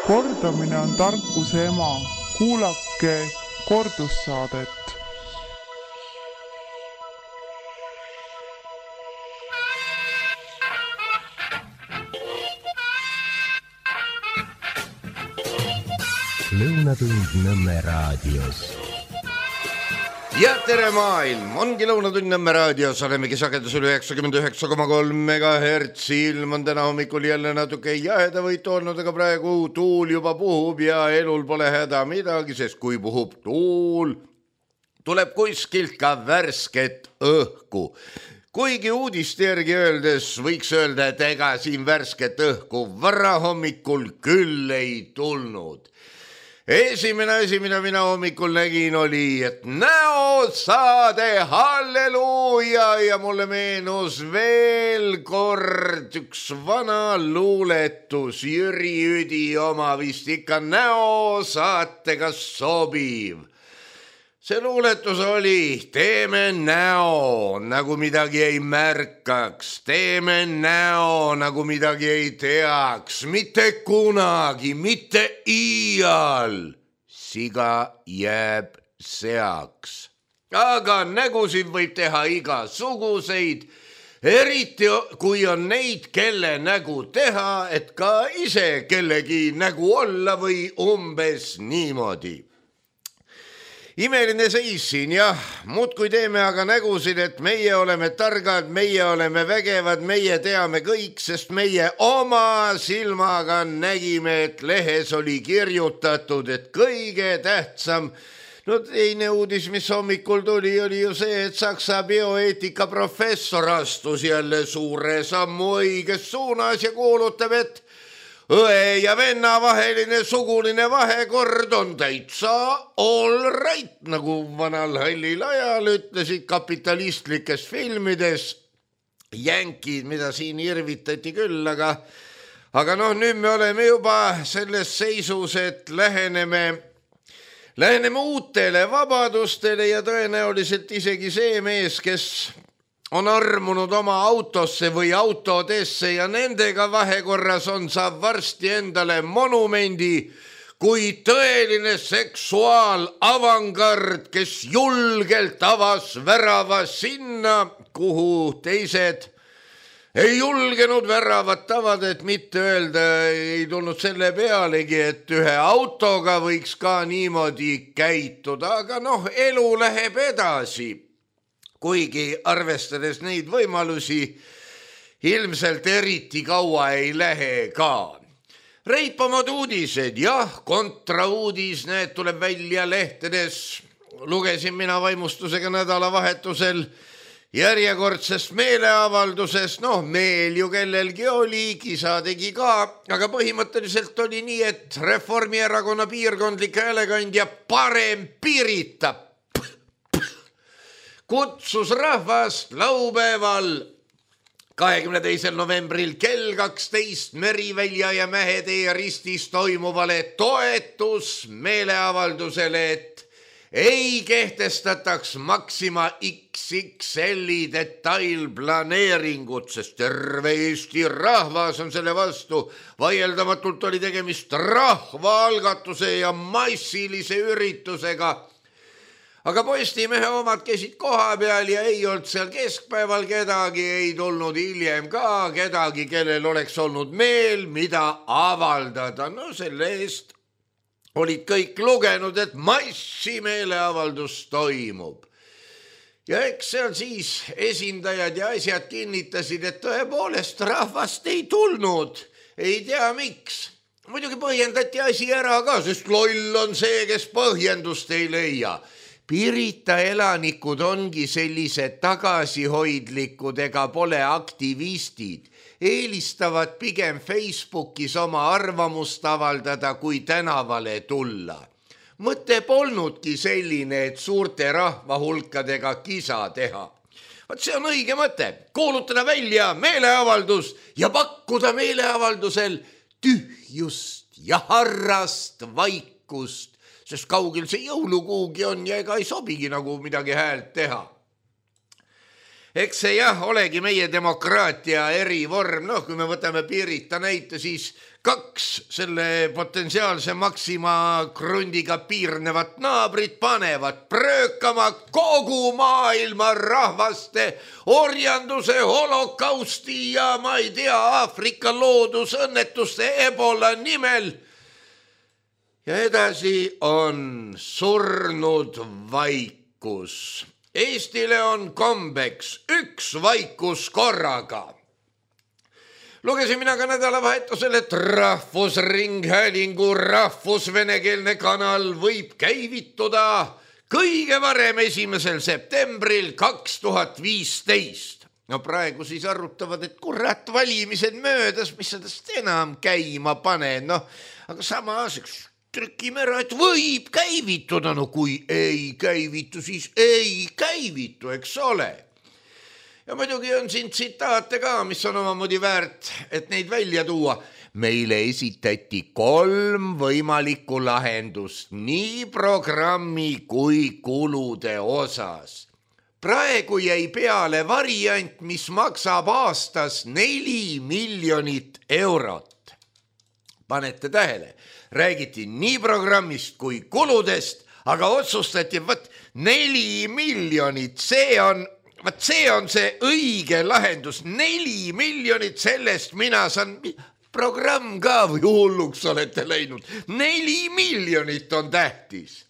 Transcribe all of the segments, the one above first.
Kordamine on tarkuse ema. Kuulake kordussaadet. Lõunatund Nõmme raadios. Ja tere maailm, ongi Lõunatund Nõmme raadios, olemegi sagedusel 99,3 MHz, ilm on täna hommikul jälle natuke jahedavõitu olnud, aga praegu tuul juba puhub ja elul pole häda midagi, sest kui puhub tuul, tuleb kuskilt ka värsket õhku. Kuigi uudiste järgi öeldes võiks öelda, et ega siin värsket õhku varahommikul küll ei tulnud. Esimene asi, mida mina hommikul nägin, oli, et näosaade, halleluuja, ja mulle meenus veel kord üks vana luuletus, Jüri Üdi oma, vist ikka näosaatega sobiv. See luuletus oli, teeme näo, nagu midagi ei märkaks, teeme näo, nagu midagi ei teaks, mitte kunagi, mitte iial, siga jääb seaks. Aga nägusid võib teha igasuguseid, eriti kui on neid, kelle nägu teha, et ka ise kellegi nägu olla või umbes niimoodi. Imeline seis siin, jah, muudkui teeme aga nägusid, et meie oleme targad, meie oleme vägevad, meie teame kõik, sest meie oma silmaga nägime, et lehes oli kirjutatud, et kõige tähtsam, teine uudis, mis hommikul tuli, oli ju see, et Saksa bioeetika professor astus jälle suure sammu õiges suunas ja kuulutab, et õe ja venna vaheline suguline vahekord on täitsa all right, nagu vanal hallil ajal ütlesid kapitalistlikes filmides. Jänkid, mida siin irvitati küll, aga nüüd me oleme juba selles seisus, et läheneme uutele vabadustele ja tõenäoliselt isegi see mees, kes on armunud oma autosse või autodesse ja nendega vahekorras on, saab varsti endale monumendi kui tõeline seksuaalavangard, kes julgelt avas värava sinna, kuhu teised ei julgenud väravat avada, et mitte öelda, ei tulnud selle pealegi, et ühe autoga võiks ka niimoodi käituda, aga elu läheb edasi. Kuigi arvestades neid võimalusi, ilmselt eriti kaua ei lähe ka. Reipamad uudised, jah, kontrauudis, need tuleb välja lehtedes. Lugesin mina vaimustusega nädalavahetusel järjekordsest meeleavaldusest, meel ju kellelgi oli, kisa tegi ka, aga põhimõtteliselt oli nii, et Reformierakonna piirkondlik häälekandja Parem Pirita kutsus rahvast laupäeval 22. novembril kell 12 Merivälja ja Mähetee ristis toimuvale toetusmeeleavaldusele, et ei kehtestataks Maxima XXL-i detailplaneeringut, sest terve Eesti rahvas on selle vastu. Vaieldamatult oli tegemist rahvaalgatuse ja massilise üritusega. Aga Postimehe omad käisid koha peal ja ei olnud seal keskpäeval kedagi, ei tulnud hiljem ka kedagi, kellel oleks olnud meel, mida avaldada. Selle eest olid kõik lugenud, et massimeeleavaldus toimub. Ja eks seal siis esindajad ja asjad kinnitasid, et tõepoolest rahvast ei tulnud, ei tea miks. Muidugi põhjendati asi ära ka, sest loll on see, kes põhjendust ei leia. Pirita elanikud ongi sellised tagasihoidlikud ega pole aktivistid. Eelistavad pigem Facebookis oma arvamust avaldada, kui tänavale tulla. Mõte polnudki selline, et suurte rahvahulkadega kisa teha. Vaat see on õige mõte. Kuulutada välja meeleavaldus ja pakkuda meeleavaldusel tühjust ja harrast vaikust. Sest kaugel see jõulukuugi on ja ega ei sobigi nagu midagi häält teha. Eks see jah, olegi meie demokraatia erivorm, kui me võtame Pirita näite, siis 2 selle potentsiaalse Maxima krundiga piirnevat naabrit panevad pröökama kogu maailma rahvaste orjanduse, holokausti ja ma ei tea, Aafrika loodusõnnetuste Ebola nimel. Ja edasi on surnud vaikus. Eestile on kombeks 1 vaikus korraga. Lugesin mina ka nädalavahetusel, et Rahvusringhäälingu rahvusvenekeelne kanal võib käivituda kõige varem 1. septembril 2015. No praegu siis arutavad, et kurat valimised möödas, mis sellest enam käima paned. Aga samas trükime ära, et võib käivituda. No kui ei käivitu, siis ei käivitu, eks ole. Ja muidugi on siin tsitaate ka, mis on omamoodi väärt, et neid välja tuua. Meile esitati 3 võimalikku lahendust nii programmi kui kulude osas. Praegu jäi peale variant, mis maksab aastas 4 miljonit eurot. Panete tähele, räägiti nii programmist kui kuludest, aga otsustati, 4 miljonit, see on see õige lahendus. 4 miljonit, sellest mina saan programm ka või hulluks olete läinud. 4 miljonit on tähtis.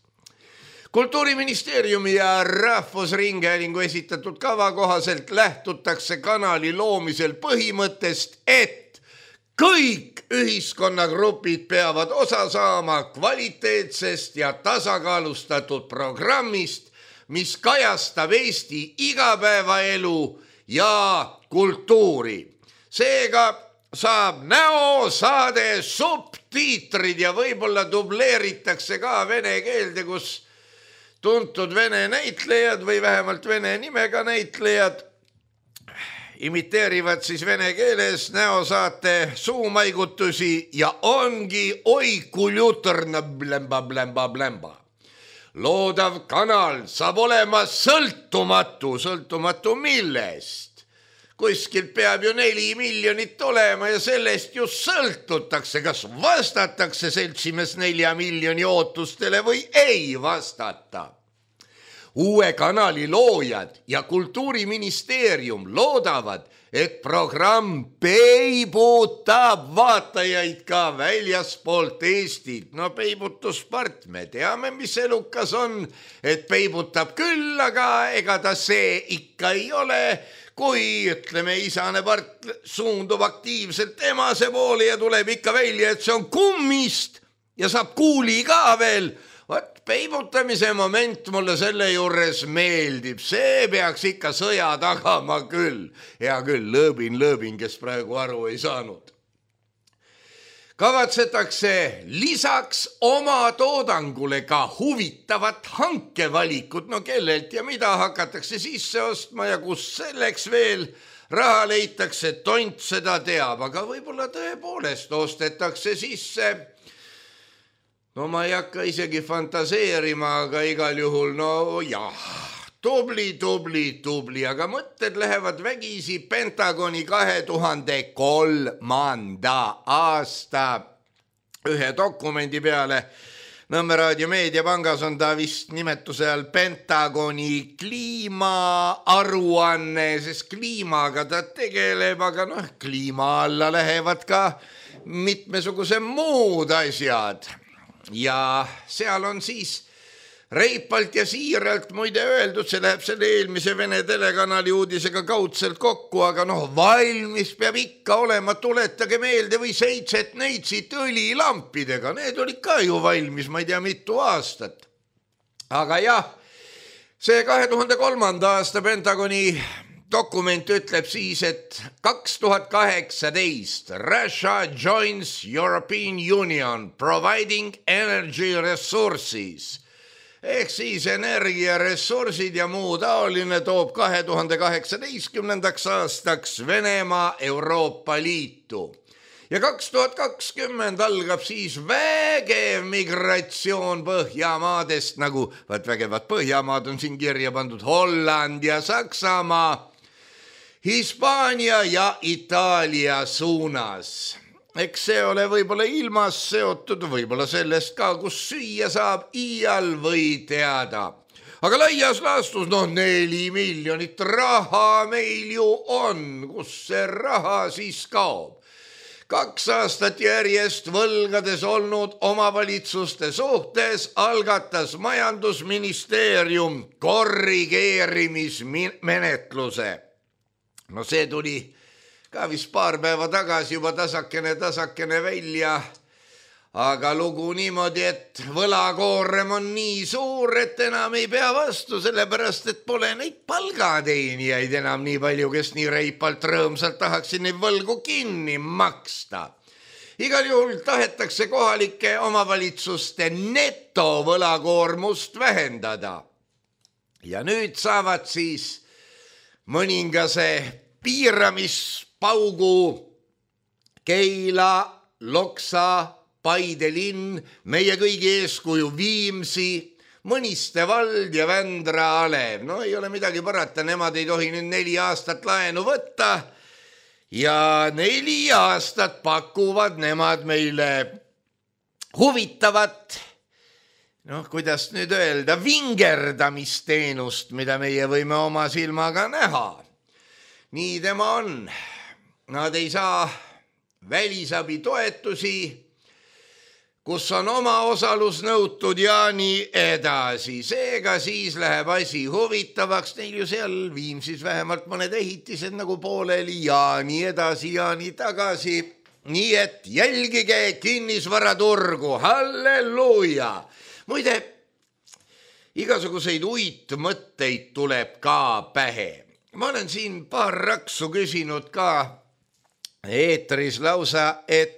Kultuuriministeeriumi ja Rahvusringhäälingu esitatud kava kohaselt lähtutakse kanali loomisel põhimõttest, et kõik ühiskonnagrupid peavad osa saama kvaliteetsest ja tasakaalustatud programmist, mis kajastab Eesti igapäevaelu ja kultuuri. Seega saab näosaade subtiitrid ja võib-olla dubleeritakse ka vene keelde, kus tuntud vene näitlejad või vähemalt vene nimega näitlejad imiteerivad siis vene keeles näosaate suumaigutusi ja ongi oikuljutorna blemba. Loodav kanal saab olema sõltumatu millest. Kuskilt peab ju 4 miljonit olema ja sellest just sõltutakse, kas vastatakse seltsimees 4 miljoni ootustele või ei vastata. Uue kanali loojad ja Kultuuriministeerium loodavad, et programm peibutab vaatajaid ka väljaspoolt Eestit. No peibutuspart, me teame, mis elukas on, et peibutab küll, aga ega ta see ikka ei ole, kui ütleme isane part suundub aktiivselt emase poole ja tuleb ikka välja, et see on kummist ja saab kuuli ka veel. Peibutamise moment mulle selle juures meeldib, see peaks ikka sõja tagama küll. Hea küll, lõõbin, kes praegu aru ei saanud. Kavatsetakse lisaks oma toodangule ka huvitavat hankevalikut, no kellelt ja mida hakatakse sisse ostma ja kus selleks veel raha leitakse, tont seda teab, aga võib-olla tõepoolest ostetakse sisse. No ma ei hakka isegi fantaseerima, aga igal juhul, no jah, tubli, aga mõtted lähevad vägisi Pentagoni 2003. aasta ühe dokumendi peale. Nõmme Raadio Meediapangas on ta vist nimetuse all Pentagoni kliimaaruanne, sest kliimaga ta tegeleb, aga kliima alla lähevad ka mitmesuguse muud asjad. Ja seal on siis reipalt ja siiralt muide öeldud, see läheb selle eelmise Vene telekanali uudisega kaudselt kokku, aga valmis peab ikka olema, tuletage meelde või 7 neitsit õlilampidega, need olid ka ju valmis, ma ei tea mitu aastat. Aga jah, see 2003. aasta Pentagoni dokument ütleb siis, et 2018 Russia joins European Union providing energy resources. Ehk siis energiaressursid ja muu taoline toob 2018. aastaks Venemaa Euroopa Liitu. Ja 2020 algab siis vägev migratsioon Põhjamaadest, nagu vägevad Põhjamaad on siin kirja pandud, Holland ja Saksamaa. Hispaania ja Itaalia suunas. Eks see ole võib-olla ilmas seotud, võib-olla sellest ka, kus süüa saab, iial või teada. Aga laias laastus, 4 miljonit raha meil ju on, kus see raha siis kaob. 2 aastat järjest võlgades olnud omavalitsuste suhtes algatas majandusministeerium korrigeerimismenetluse. No see tuli ka vist paar päeva tagasi juba tasakene välja. Aga lugu niimoodi, et võlakoorem on nii suur, et enam ei pea vastu, sellepärast, et pole neid palgateenijaid enam nii palju, kes nii reipalt rõõmsalt tahaksid neid võlgu kinni maksta. Igal juhul tahetakse kohalike omavalitsuste netovõlakoormust vähendada. Ja nüüd saavad siis mõningase piiramispaugu Keila, Loksa, Paide linn, meie kõigi eeskuju Viimsi, Mõniste vald ja Vändra Alev. No ei ole midagi parata, nemad ei tohi nüüd 4 aastat laenu võtta ja 4 aastat pakuvad nemad meile huvitavat, kuidas nüüd öelda, vingerdamisteenust, mida meie võime oma silmaga näha. Nii tema on. Nad ei saa välisabi toetusi, kus on oma osalus nõutud ja nii edasi. Seega siis läheb asi huvitavaks, neil ju seal Viimsis vähemalt mõned ehitised nagu pooleli ja nii edasi ja nii tagasi. Nii et jälgige kinnisvaraturgu, halleluuja! Muide, igasuguseid uitmõtteid tuleb ka pähe. Ma olen siin paar raksu küsinud ka eetris lausa, et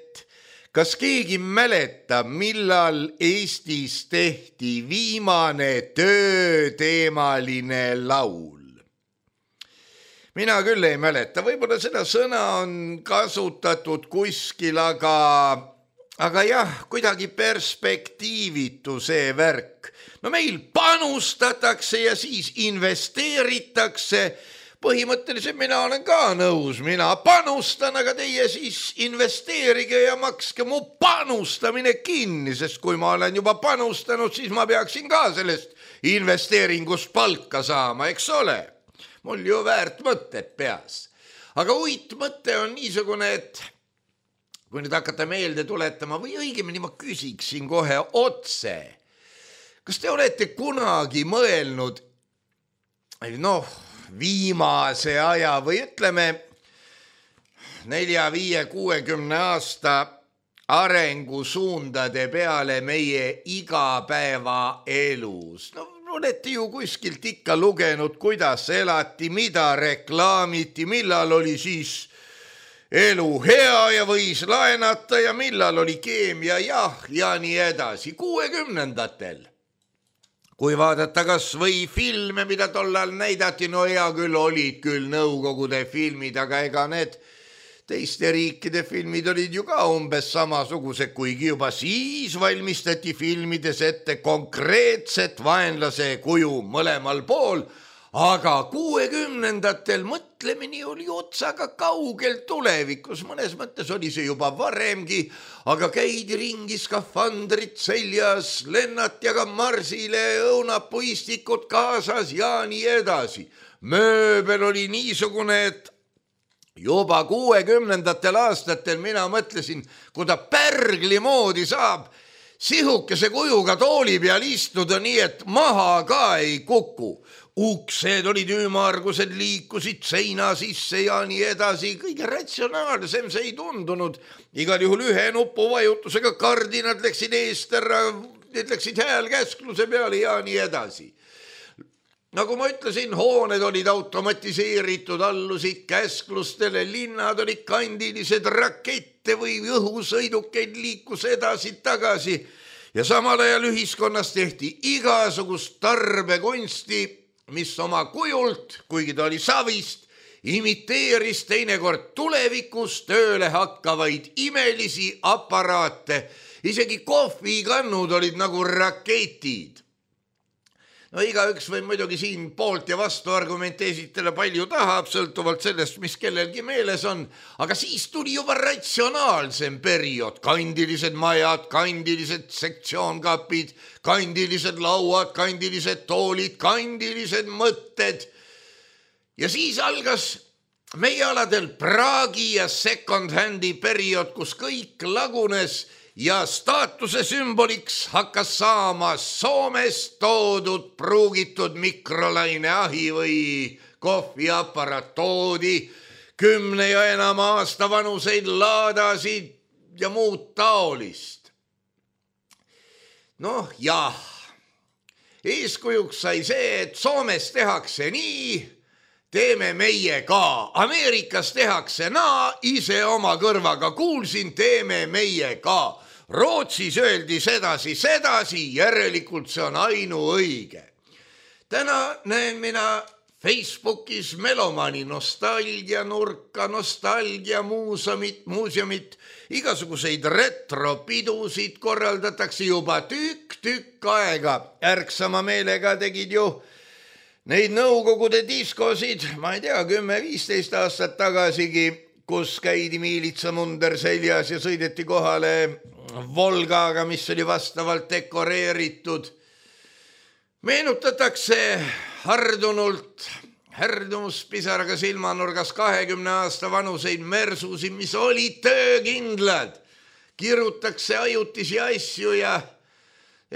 kas keegi mäletab, millal Eestis tehti viimane tööteemaline laul? Mina küll ei mäleta, võib-olla seda sõna on kasutatud kuskil, aga jah, kuidagi perspektiivitu see värk. No meil panustatakse ja siis investeeritakse. Põhimõtteliselt mina olen ka nõus, mina panustan, aga teie siis investeerige ja makske mu panustamine kinni, sest kui ma olen juba panustanud, siis ma peaksin ka sellest investeeringust palka saama, eks ole? Mul ju väärt mõtted peas. Aga uitmõte on niisugune, et kui nüüd hakata meelde tuletama või õigemini ma küsiksin kohe otse. Kas te olete kunagi mõelnud, viimase aja või ütleme 4, 5, 60 aasta arengusuundade peale meie igapäevaelus. Olete ju kuskilt ikka lugenud, kuidas elati, mida reklaamiti, millal oli siis elu hea ja võis laenata ja millal oli keemia ja nii edasi. 60-ndatel. Kui vaadata kas või filme, mida tollal näidati, hea küll olid küll Nõukogude filmid, aga ega need teiste riikide filmid olid ju ka umbes samasugused, kuigi juba siis valmistati filmides ette konkreetset vaenlase kuju mõlemal pool, aga 60-ndatel mõtlemine oli otsaga kaugel tulevikus, mõnes mõttes oli see juba varemgi, aga käidi ringi skafandrit seljas, lennati aga marsile, õunapuistikud kaasas ja nii edasi. Mööbel oli niisugune, et juba 60-ndatel aastatel mina mõtlesin, kui ta pärgli moodi saab sihukese kujuga tooli peal istuda nii, et maha ka ei kuku. Uksed olid ümmargused, liikusid seina sisse ja nii edasi. Kõige ratsionaalsem see ei tundunud. Igal juhul ühe nupuvajutusega kardinad läksid eest ära, läksid häälkäskluse peale ja nii edasi. Nagu ma ütlesin, hooned olid automatiseeritud, allusid käsklustele, linnad olid kandilised, rakette või õhusõidukeid liikus edasi-tagasi ja samal ajal ühiskonnas tehti igasugust tarbekunsti, mis oma kujult, kuigi ta oli savist, imiteeris teinekord tulevikus tööle hakkavaid imelisi aparaate. Isegi kohvikannud olid nagu raketid. No igaüks võib muidugi siin poolt ja vastu argumente esitada palju tahab, sõltuvalt sellest, mis kellelgi meeles on, aga siis tuli juba ratsionaalsem periood, kandilised majad, kandilised sektsioonkapid, kandilised lauad, kandilised toolid, kandilised mõtted. Ja siis algas meie aladel Praagi ja second-handi periood, kus kõik lagunes ja staatuse sümboliks hakkas saama Soomest toodud pruugitud mikrolaineahi või kohviaparaat, toodi 10 ja enam aasta vanuseid laadasid ja muud taolist. Noh jah, eeskujuks sai see, et Soomes tehakse nii, teeme meie ka, Ameerikas tehakse naa, ise oma kõrvaga kuulsin, teeme meie ka. Rootsis öeldi sedasi, järelikult see on ainuõige. Täna näen mina Facebookis Melomani nostalgianurka, nostalgiamuuseumit, igasuguseid retropidusid korraldatakse juba tükk aega. Ärksama meelega tegid ju neid Nõukogude diskosid, ma ei tea, 10-15 aastat tagasigi, kus käidi miilitsamunder seljas ja sõideti kohale Volgaga, mis oli vastavalt dekoreeritud. Meenutatakse härdmuspisaraga silmanurgas 20 aasta vanuseid mersusi, mis olid töökindlad. Kirutakse ajutisi asju ja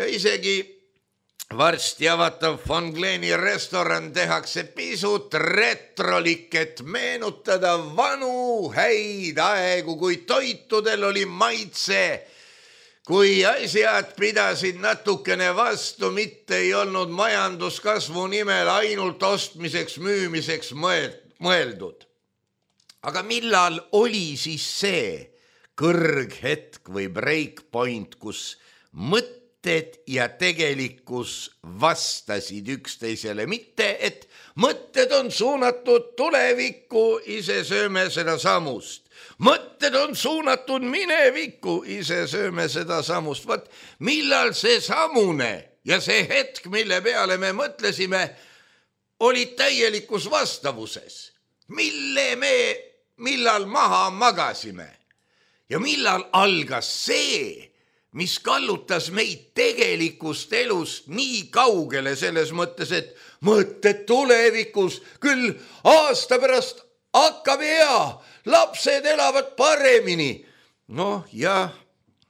isegi varsti avatav Von Gleni restoran tehakse pisut retrolik, et meenutada vanu häid aegu, kui toitudel oli maitse, kui asjad pidasid natukene vastu, mitte ei olnud majanduskasvu nimel ainult ostmiseks, müümiseks mõeldud. Aga millal oli siis see kõrghetk või breakpoint, kus mõtted ja tegelikkus vastasid üksteisele, mitte et mõtted on suunatud tulevikku, ise sööme seda samust. Mõtted on suunatud minevikku, ise sööme seda samust. Vaat millal see samune ja see hetk, mille peale me mõtlesime, olid täielikus vastavuses. Millal maha magasime ja millal algas see, mis kallutas meid tegelikust elust nii kaugele selles mõttes, et mõtted tulevikus, küll aasta pärast hakkab hea, lapsed elavad paremini. Noh, jah,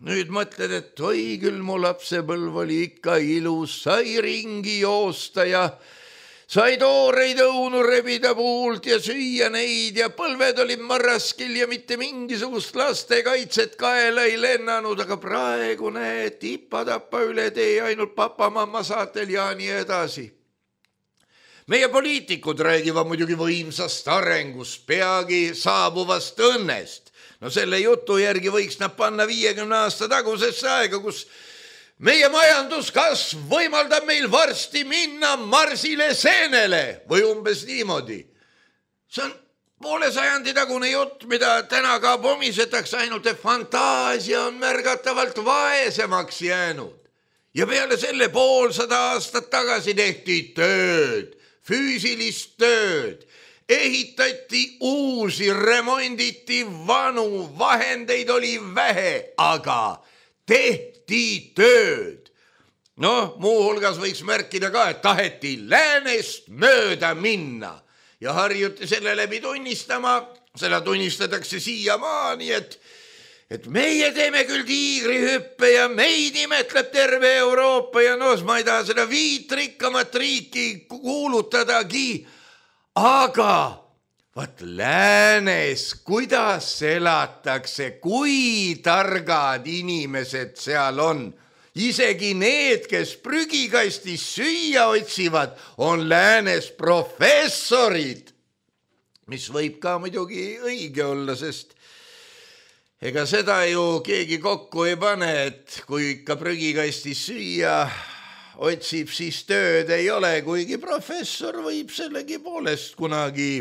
nüüd mõtled, et oi küll, mu lapsepõlv oli ikka ilus, sai ringi joosta ja sai tooreid õunu rebida puult ja süüa neid ja põlved olid marraskil ja mitte mingisugust lastekaitset kaela ei lennanud, aga praegu näed, tippa-tappa üle tee ainult papa-mamma saatel ja nii edasi. Meie poliitikud räägivad muidugi võimsast arengust, peagi saabuvast õnnest. No selle jutu järgi võiks nad panna 50 aasta tagusesse aega, kus meie majanduskasv võimaldab meil varsti minna Marsile seenele või umbes niimoodi. See on poole sajandi tagune jutt, mida täna ka pomisetakse, ainult et fantaasia on märgatavalt vaesemaks jäänud. Ja peale selle 500 aastat tagasi tehti tööd, füüsilist tööd, ehitati uusi, remonditi vanu, vahendeid oli vähe, aga tehti tööd. Noh, muuhulgas võiks märkida ka, et taheti läänest mööda minna ja harjuti selle läbi tunnistama, seda tunnistatakse siiamaani, et meie teeme küll tiigrihüppe ja meid imetleb terve Euroopa ja noh, ma ei taha seda 5 rikkamat riiki kuulutadagi, aga vaat läänes, kuidas elatakse, kui targad inimesed seal on. Isegi need, kes prügikastis süüa otsivad, on läänes professorid, mis võib ka muidugi õige olla, sest ega seda ju keegi kokku ei pane, et kui ikka prügikastis süüa otsib, siis tööd ei ole, kuigi professor võib sellegi poolest kunagi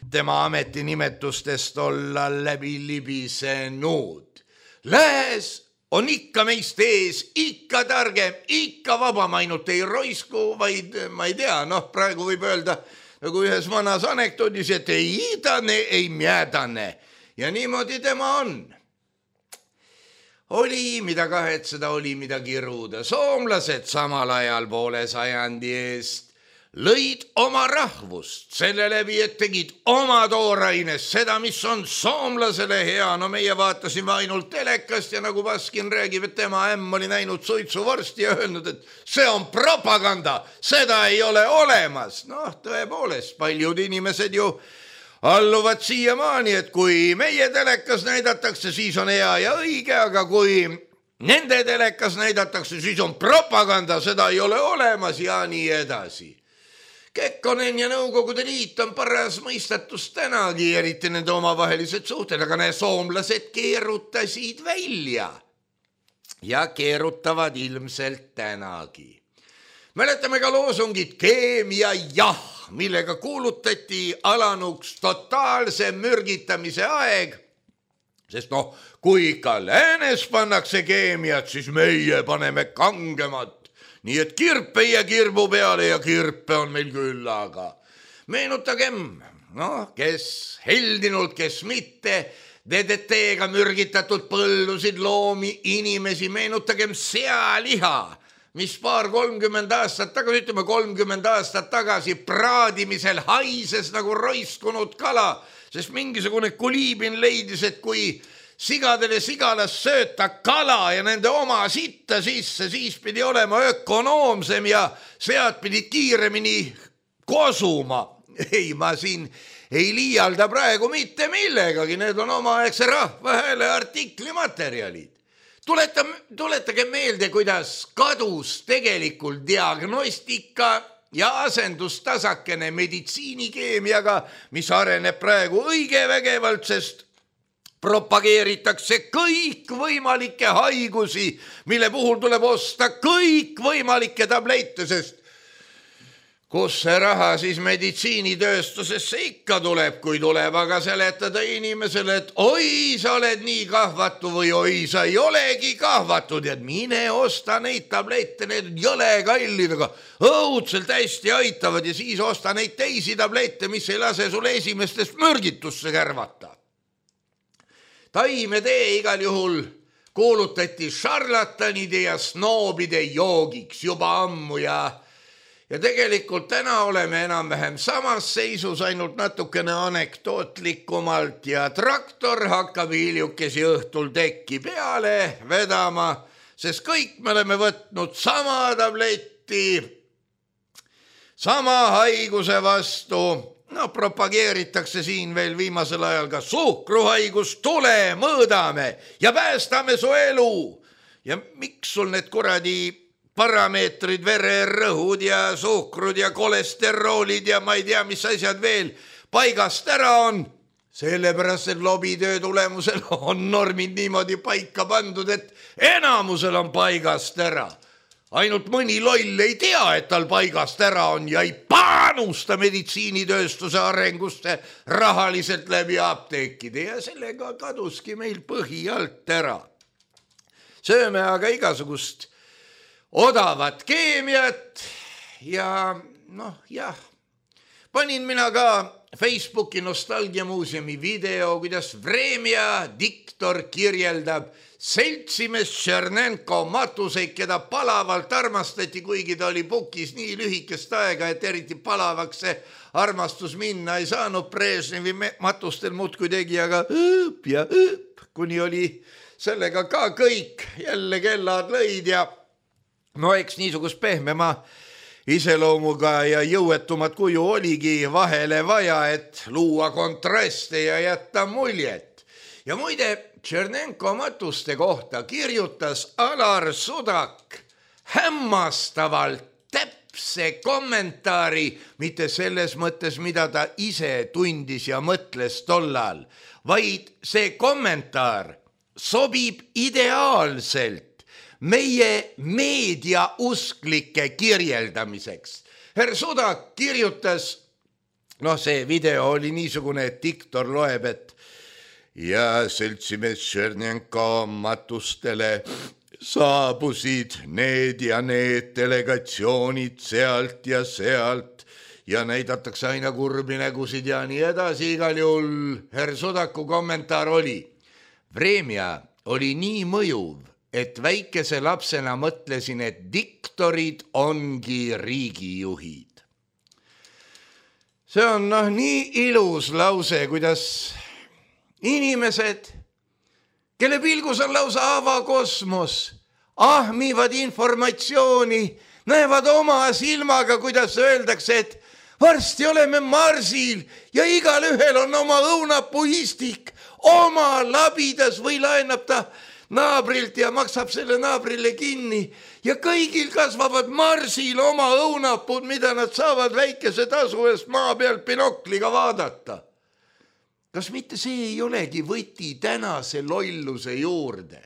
tema ametinimetustest olla läbi libisenud. Lääs on ikka meist ees, ikka targem, ikka vabam, ainult ei roisku, vaid ma ei tea, praegu võib öelda nagu ühes vanas anekdoodis, et ei iidane, ei mjäädane ja niimoodi tema on. Oli mida kahetseda, oli mida kiruda. Soomlased samal ajal poole sajandi eest lõid oma rahvust selle läbi, et tegid oma toorainest seda, mis on soomlasele hea. No meie vaatasime ainult telekast ja nagu Baskin räägib, et tema ämm oli näinud suitsuvorsti ja öelnud, et see on propaganda, seda ei ole olemas. Tõepoolest, paljud inimesed ju alluvad siiamaani, et kui meie telekas näidatakse, siis on hea ja õige, aga kui nende telekas näidatakse, siis on propaganda, seda ei ole olemas ja nii edasi. Kekkonen ja Nõukogude Liit on paras mõistatus tänagi, eriti nende omavahelised suhted, aga need soomlased keerutasid välja ja keerutavad ilmselt tänagi. Mäletame ka loosungit keemia jah, millega kuulutati alanuks totaalse mürgitamise aeg, sest kui ikka läänes pannakse keemiat, siis meie paneme kangemat. Nii et kirp ei jää kirbu peale ja kirpe on meil küll, aga meenutagem, kes heldinult, kes mitte, DDT-ga mürgitatud põllusid, loomi, inimesi, meenutagem sealiha, mis 30 aastat tagasi, ütleme 30 aastat tagasi praadimisel haises nagu roiskunud kala, sest mingisugune kuliibin leidis, et kui sigadele sigalas sööta kala ja nende oma sitta sisse, siis pidi olema ökonoomsem ja sead pidi kiiremini kosuma. Ei, ma siin ei liialda praegu mitte millegagi, need on omaaegse Rahvahääle artikli materjalid. Tuletage meelde, kuidas kadus tegelikult diagnostika ja asendustasakene meditsiinikeemiaga, mis areneb praegu õige vägevalt, sest propageeritakse kõikvõimalikke haigusi, mille puhul tuleb osta kõikvõimalikke tablette, sest kus see raha siis meditsiinitööstusesse ikka tuleb, kui tuleb aga seletada inimesele, et oi, sa oled nii kahvatu või oi, sa ei olegi kahvatu, tead, mine osta neid tablette, need jõle kallid, aga õudselt hästi aitavad ja siis osta neid teisi tablette, mis ei lase sulle esimestest mürgitusse kärvata. Taimetee igal juhul kuulutati šarlatanide ja snoobide joogiks juba ammu ja tegelikult täna oleme enam-vähem samas seisus, ainult natukene anekdootlikumalt ja traktor hakkab hiljukesi õhtul tekki peale vedama, sest kõik me oleme võtnud sama tabletti, sama haiguse vastu. Propageeritakse siin veel viimasel ajal ka suhkruhaigus, tule mõõdame ja päästame su elu. Ja miks sul need kuradi parameetrid, vererõhud ja suhkrud ja kolesteroolid ja ma ei tea, mis asjad veel paigast ära on? Sellepärast, et lobitöö tulemusel on normid niimoodi paika pandud, et enamusel on paigast ära. Ainult mõni loll ei tea, et tal paigast ära on ja ei panusta meditsiinitööstuse arenguste rahaliselt läbi apteekide ja sellega kaduski meil põhi alt ära. Sööme aga igasugust odavat keemiat ja panin mina ka Facebooki Nostalgiamuuseumi video, kuidas Vremja diktor kirjeldab seltsimees Tšernenko matuseid, keda palavalt armastati, kuigi ta oli pukis nii lühikest aega, et eriti palavaks see armastus minna ei saanud. Brežnevi matustel muudkui tegi, aga kuni oli sellega ka kõik jälle kellad lõid ja eks niisugust pehmema iseloomuga ja jõuetumat kuju oligi vahele vaja, et luua kontraste ja jätta muljet. Ja muide, Tšernenko matuste kohta kirjutas Alar Sudak hämmastavalt täpse kommentaari, mitte selles mõttes, mida ta ise tundis ja mõtles tollal, vaid see kommentaar sobib ideaalselt meie meediausklike kirjeldamiseks. Herr Sudak kirjutas, see video oli niisugune, et diktor loeb, et ja seltsimees Tšernjenko matustele saabusid need ja need delegatsioonid sealt ja sealt ja näidatakse aina kurbi nägusid ja nii edasi. Igal juhul herr Sudaku kommentaar oli: Vremja oli nii mõjuv, et väikese lapsena mõtlesin, et diktorid ongi riigijuhid. See on nii ilus lause, kuidas inimesed, kelle pilgus on lausa avakosmos, ahmivad informatsiooni, näevad oma silmaga, kuidas öeldakse, et varsti oleme Marsil ja igal ühel on oma õunapuistik oma labidas või laenab ta naabrilt ja maksab selle naabrile kinni ja kõigil kasvavad Marsil oma õunapud, mida nad saavad väikese tasu eest maa pealt binokliga vaadata. Kas mitte see ei olegi võti tänase lolluse juurde?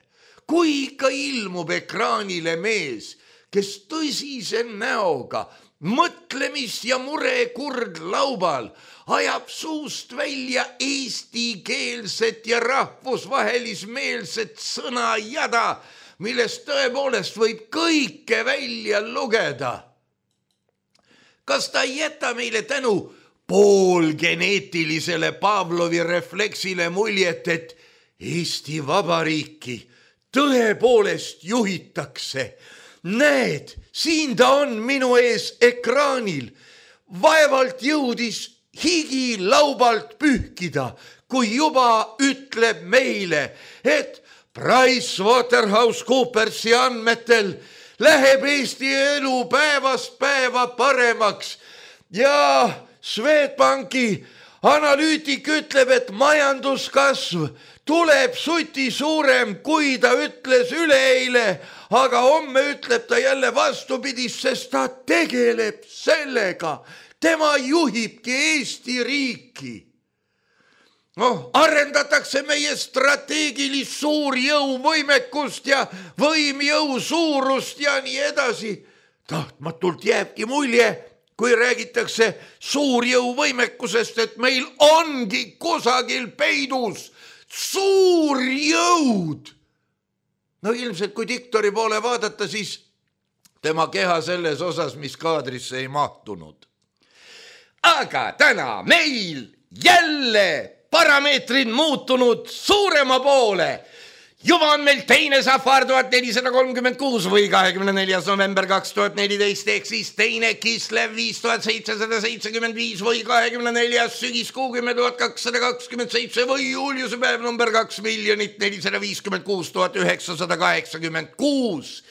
Kui ikka ilmub ekraanile mees, kes tõsise näoga, mõtlemist ja murekurd laubal ajab suust välja eestikeelset ja rahvusvahelismeelset sõnajada, millest tõepoolest võib kõike välja lugeda. Kas ta ei jäta meile tänu poolgeneetilisele Pavlovi refleksile muljet, et Eesti Vabariiki tõepoolest juhitakse? Näed, siin ta on minu ees ekraanil. Vaevalt jõudis higi laubalt pühkida, kui juba ütleb meile, et PricewaterhouseCoopersi andmetel läheb Eesti elu päevast päeva paremaks ja Swedbanki analüütik ütleb, et majanduskasv tuleb suti suurem, kui ta ütles üleeile, aga homme ütleb ta jälle vastupidist, sest ta tegeleb sellega. Tema juhibki Eesti riiki. Arendatakse meie strateegilist suurjõuvõimekust ja võimjõu suurust ja nii edasi. Tahtmatult jääbki mulje, kui räägitakse suurjõuvõimekusest, et meil ongi kusagil peidus suurjõud. Ilmselt kui diktori poole vaadata, siis tema keha selles osas, mis kaadrisse ei mahtunud. Aga täna meil jälle parameetrid muutunud suurema poole. Juba on meil teine Safar 1436 või 24. november 2014 ehk siis teine Kislev 5775 või 24. sügiskuu 10227 või Juliuse päev number 2 456 986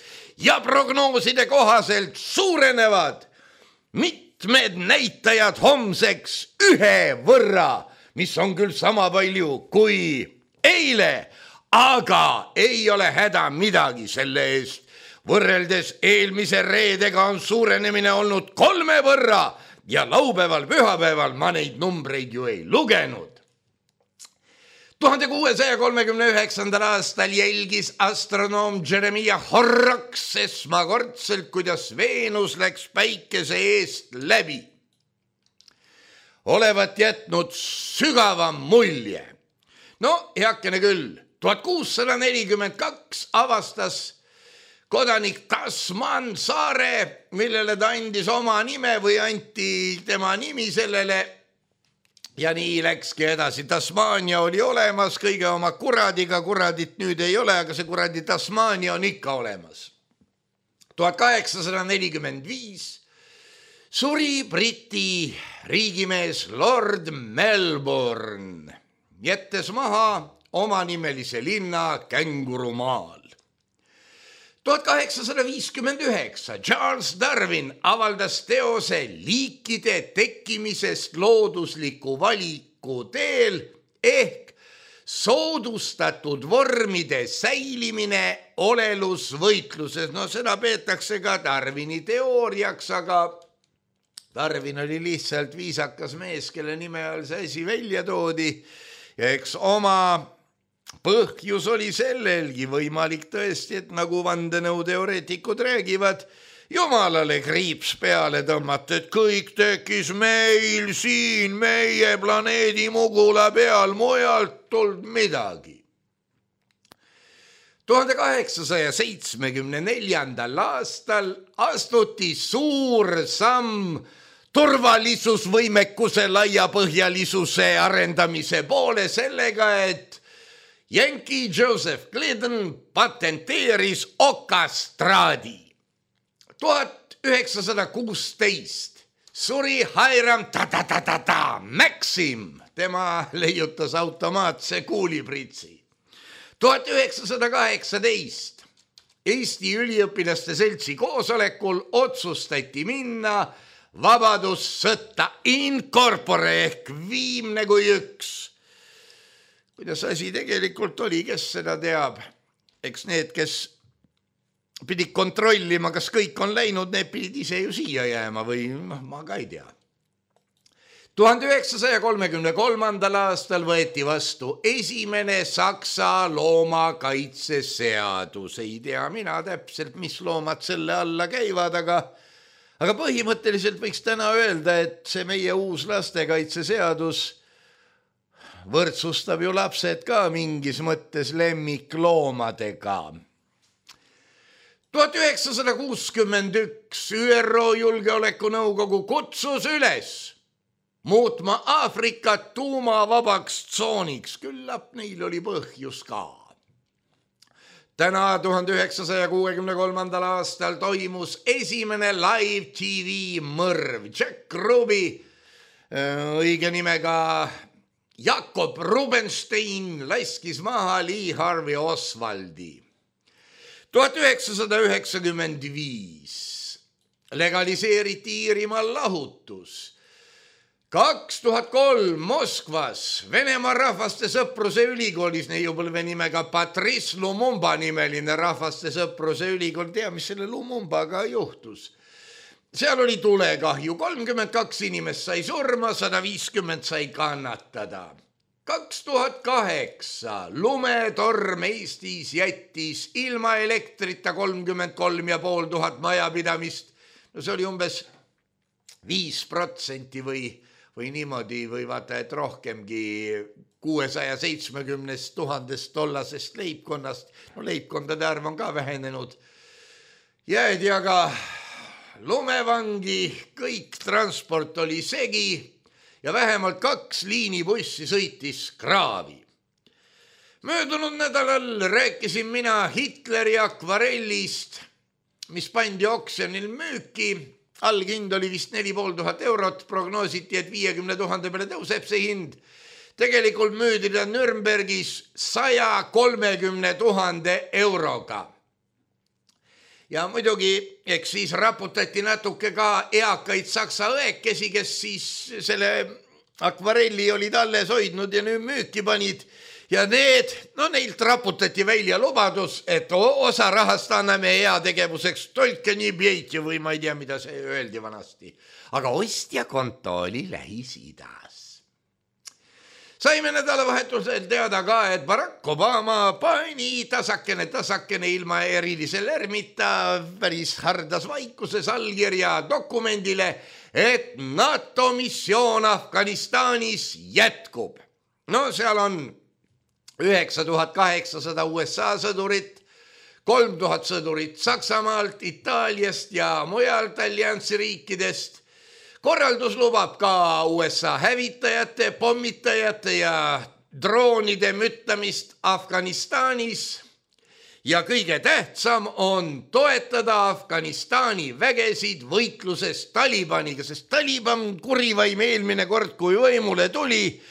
ja prognooside kohaselt suurenevad mitmed näitajad homseks 1 võrra, mis on küll sama palju kui eile, aga ei ole häda midagi selle eest. Võrreldes eelmise reedega on suurenemine olnud 3 võrra ja laupäeval, pühapäeval ma neid numbreid ju ei lugenud. 1639. aastal jälgis astronoom Jeremiah Horrocks esmakordselt, kuidas Veenus läks päikese eest läbi. Olevat jätnud sügava mulje. Heakene küll. 1642 avastas kodanik Tasman saare, millele ta andis oma nime või anti tema nimi sellele. Ja nii läkski edasi. Tasmania oli olemas kõige oma kuradiga, kuradit nüüd ei ole, aga see kuradi Tasmania on ikka olemas. 1845 suri Briti riigimees Lord Melbourne, jättes maha omanimelise linna Kängurumaal. 1859 Charles Darwin avaldas teose liikide tekkimisest loodusliku valiku teel ehk soodustatud vormide säilimine olelusvõitluses. Seda peetakse ka Darwini teooriaks, aga Darwin oli lihtsalt viisakas mees, kelle nime all see asi välja toodi. Ja eks oma põhjus oli sellelgi võimalik tõesti, et nagu vandenõuteoreetikud räägivad, Jumalale kriips peale tõmmata, et kõik tekkis meil siin, meie planeedi Mugula peal, mujalt tuld midagi. 1874. aastal astuti suur samm turvalisusvõimekuse laiapõhjalisuse arendamise poole sellega, et Yankee Joseph Clinton patenteeris okastraadi. 1916 suri Hiram Maxim, tema leiutas automaatse kuulipritsi. 1918 Eesti üliõpilaste seltsi koosolekul otsustati minna vabadussõtta in corpore ehk viimne kui üks. Kuidas asi tegelikult oli, kes seda teab? Eks need, kes pidid kontrollima, kas kõik on läinud, need pidid ise ju siia jääma või ma ka ei tea. 1933. aastal võeti vastu esimene Saksa loomakaitseseadus. Ei tea mina täpselt, mis loomad selle alla käivad, aga põhimõtteliselt võiks täna öelda, et see meie uus lastekaitseseadus võrdsustab ju lapsed ka mingis mõttes lemmikloomadega. 1961 ÜRO Julgeolekunõukogu kutsus üles muutma Aafrikat tuumavabaks tsooniks, küllap neil oli põhjus ka. Täna 1963. aastal toimus esimene live TV mõrv. Jack Ruby, õige nimega Jakob Rubenstein, laskis maha Lee Harvey Oswaldi. 1995 legaliseeriti Iirimaal lahutus. 2003 Moskvas Venemaa rahvaste sõpruse ülikoolis neiupõlve nimega Patrice Lumumba nimeline rahvaste sõpruse ülikool. Tea, mis selle Lumumbaga juhtus? Seal oli tulekahju, 32 inimest sai surma, 150 sai kannatada. 2008 lumetorm Eestis jättis ilma elektrita 33,500 majapidamist. No see oli umbes 5% või niimoodi, või vaata, et rohkemgi 670 000 tollasest leibkonnast. No leibkondade arv on ka vähenenud. Jäädi aga lumevangi, kõik transport oli segi ja vähemalt 2 liinibussi sõitis kraavi. Möödunud nädalal rääkisin mina Hitleri akvarellist, mis pandi oksjonil müüki. Allhind oli vist 4500 eurot, prognoositi, et 50 000 peale tõuseb see hind. Tegelikult müüdi ta Nürnbergis 130 000 euroga. Ja muidugi, eks siis raputati natuke ka eakaid saksa õekesi, kes siis selle akvarelli olid alles hoidnud ja nüüd müüki panid. Ja neilt raputati välja lubadus, et osa rahast anname heategevuseks, toitke nii pjeitju või ma ei tea, mida see öeldi vanasti. Aga ostja konto oli Lähis-Idas. Saime nädalavahetusel teada ka, et Barack Obama pani tasakene ilma erilise lärmita päris hardas vaikuses allkirja dokumendile, et NATO missioon Afganistanis jätkub. No seal on 9800 USA sõdurit, 3000 sõdurit Saksamaalt, Itaaliast ja mujalt alliansi riikidest. Korraldus lubab ka USA hävitajate, pommitajate ja droonide müttamist Afganistanis. Ja kõige tähtsam on toetada Afganistani vägesid võitluses Talibaniga, sest Taliban kurivaim eelmine kord, kui võimule tuli,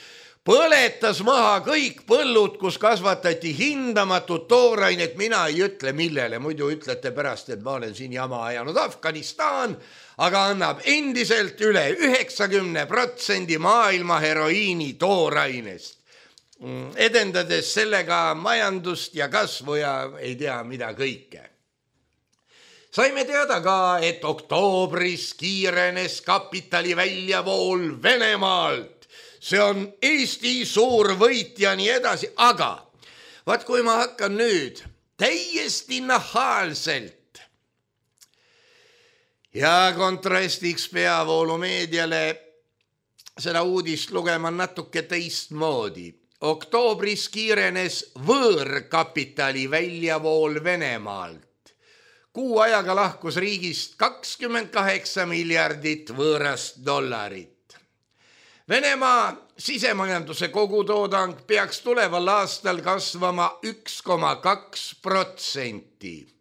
põletas maha kõik põllud, kus kasvatati hindamatut toorainet. Mina ei ütle millele, muidu ütlete pärast, et ma olen siin jama ajanud. Afganistan aga annab endiselt üle 90% maailma heroiini toorainest, edendades sellega majandust ja kasvu ja ei tea mida kõike. Saime teada ka, et oktoobris kiirenes kapitali väljavool Venemaalt. See on Eesti suur võit ja nii edasi, aga vaat kui ma hakkan nüüd täiesti nahaalselt Ja kontrastiks peavoolumeediale seda uudist lugema natuke teistmoodi. Oktoobris kiirenes võõrkapitali väljavool Venemaalt. Kuu ajaga lahkus riigist 28 miljardit võõrast dollarit. Venemaa sisemajanduse kogutoodang peaks tuleval aastal kasvama 1,2%.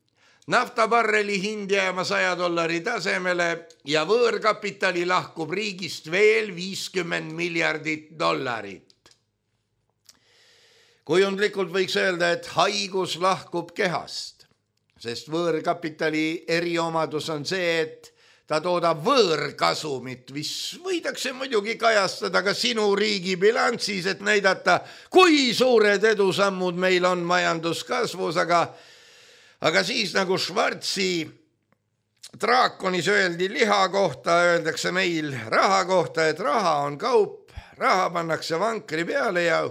Naftabarreli hind jääma $100 tasemele ja võõrkapitali lahkub riigist veel 50 miljardit dollarit. Kujundlikult võiks öelda, et haigus lahkub kehast, sest võõrkapitali eriomadus on see, et ta toodab võõrkasumit, mis võidakse muidugi kajastada ka sinu riigi bilanssis, et näidata, kui suured edusammud meil on majanduskasvus, aga siis nagu Schwarzi draakonis öeldi liha kohta, öeldakse meil raha kohta, et raha on kaup, raha pannakse vankri peale ja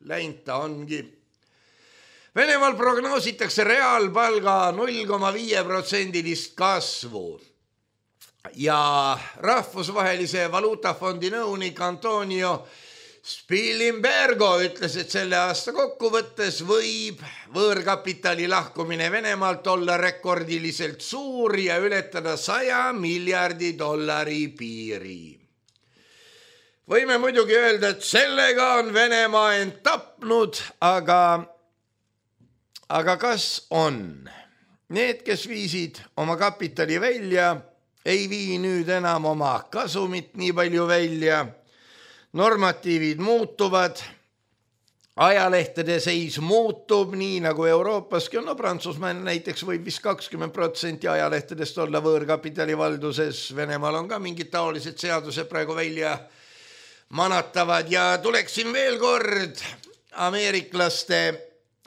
läinud ta ongi. Venemaal prognoositakse reaalpalga 0,5% kasvu ja rahvusvahelise valuutafondi nõunik Antonio Spilimbergo ütles, et selle aasta kokkuvõttes võib võõrkapitali lahkumine Venemaalt olla rekordiliselt suur ja ületada $100 miljardi piiri. Võime muidugi öelda, et sellega on Venemaa end tapnud, aga kas on? Need, kes viisid oma kapitali välja, ei vii nüüd enam oma kasumit nii palju välja. Normatiivid muutuvad, ajalehtede seis muutub nii nagu Euroopaski. No Prantsusmaal näiteks võib vist 20% ajalehtedest olla võõrkapitali valduses. Venemaal on ka mingid taolised seadused praegu välja manatavad ja tuleksin veel kord ameeriklaste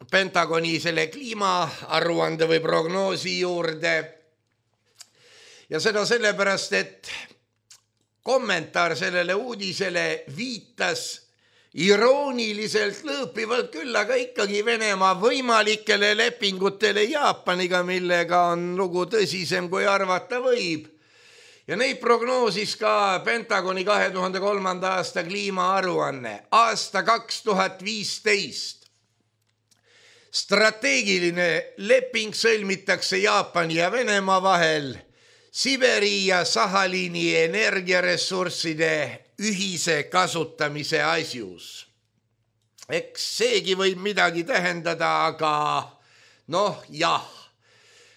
Pentagoni selle kliimaaruande või prognoosi juurde. Ja seda sellepärast, et kommentaar sellele uudisele viitas irooniliselt lõõpivalt küll, aga ikkagi Venemaa võimalikele lepingutele Jaapaniga, millega on lugu tõsisem kui arvata võib. Ja neid prognoosis ka Pentagoni 2003. aasta kliimaaruanne. Aasta 2015. Strateegiline leping sõlmitakse Jaapani ja Venemaa vahel Siberi ja Sahaliini energiaressursside ühise kasutamise asjus. Eks seegi võib midagi tähendada, aga jah,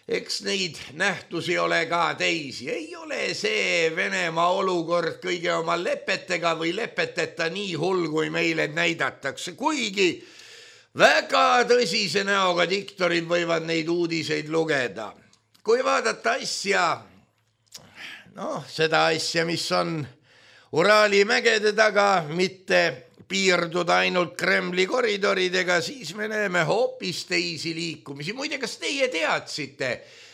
eks neid nähtusi ole ka teisi. Ei ole see Venemaa olukord kõige oma lepetega või lepeteta nii hull, kui meile näidatakse, kuigi väga tõsise näoga diktorid võivad neid uudiseid lugeda. Kui vaadata seda asja, mis on Uraali mägede taga, mitte piirduda ainult Kremli koridoridega, siis me näeme hoopis teisi liikumisi. Muide, kas teie teadsite,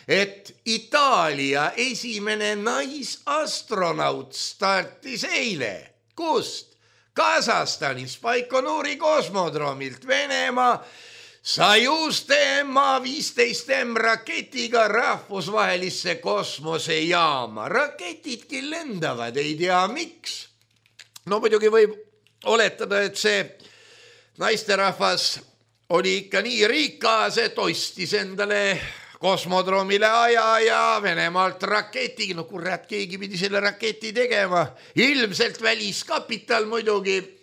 et Itaalia esimene naisastronaut startis eile? Kust? Kasahstanis Baikonuri kosmodroomilt. Venemaa Soyuz Ma-15M raketiga rahvusvahelisse kosmosejaama. Raketidki lendavad, ei tea miks. No muidugi võib oletada, et see naisterahvas oli ikka nii rikas, et ostis endale kosmodroomile aja ja Venemaalt raketi. No kurat, keegi pidi selle raketi tegema. Ilmselt väliskapital muidugi.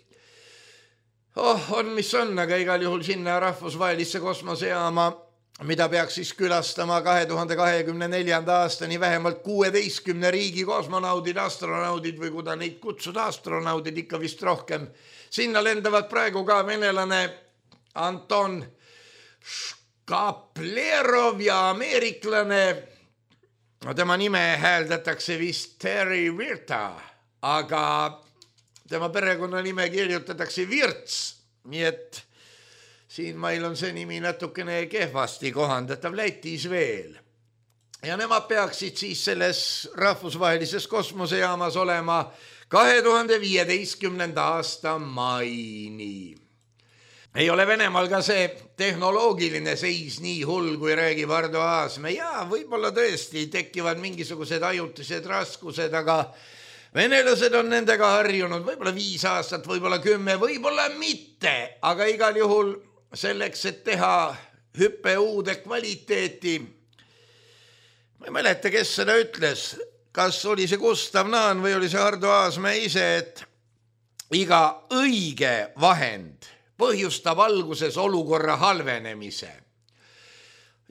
On mis on, aga igal juhul sinna rahvusvahelisse kosmosejaama, mida peaks siis külastama 2024. aastani vähemalt 16 riigi kosmonaudid, astronaudid või kuda neid kutsuda, astronaudid ikka vist rohkem. Sinna lendavad praegu ka venelane Anton Škaplerov ja ameeriklane, tema nime hääldatakse vist Terry Virta, aga tema perekonnanime kirjutatakse Virts, nii et siin meil on see nimi natukene kehvasti kohandatav, Lätis veel. Ja nemad peaksid siis selles rahvusvahelises kosmosejaamas olema 2015. aasta maini. ei ole Venemaal ka see tehnoloogiline seis nii hull, kui räägib Ardo Aasmäe. Ja võib-olla tõesti tekivad mingisugused ajutised raskused, aga venelased on nendega harjunud võib-olla 5 aastat, võib-olla 10, võib-olla mitte, aga igal juhul selleks, et teha hüppe uude kvaliteeti. Ma ei mäleta, kes seda ütles, kas oli see Gustav Naan või oli see Ardo Aasmäe ise, et iga õige vahend põhjustab alguses olukorra halvenemise.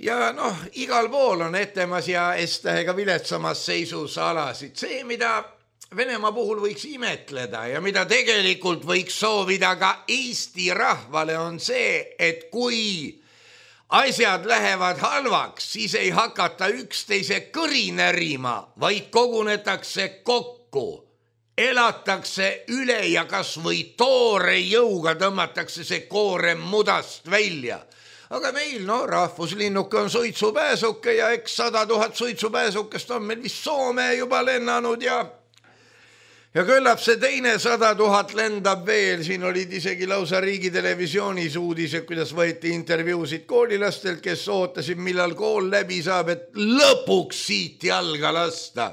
Ja igal pool on etemas ja S-tähega viletsamas seisus alasid. See, mida Venemaa puhul võiks imetleda ja mida tegelikult võiks soovida ka Eesti rahvale, on see, et kui asjad lähevad halvaks, siis ei hakata üksteise kõri närima, vaid kogunetakse kokku. Elatakse üle ja kas või toore jõuga tõmmatakse see koorem mudast välja. Aga meil, rahvuslinnuke on suitsupääsuke ja eks 100 000 suitsupääsukest on meil vist Soome juba lennanud ja küllap see teine 100 000 lendab veel. Siin olid isegi lausa riigitelevisioonis uudised, kuidas võeti intervjuusid koolilastelt, kes ootasid, millal kool läbi saab, et lõpuks siit jalga lasta.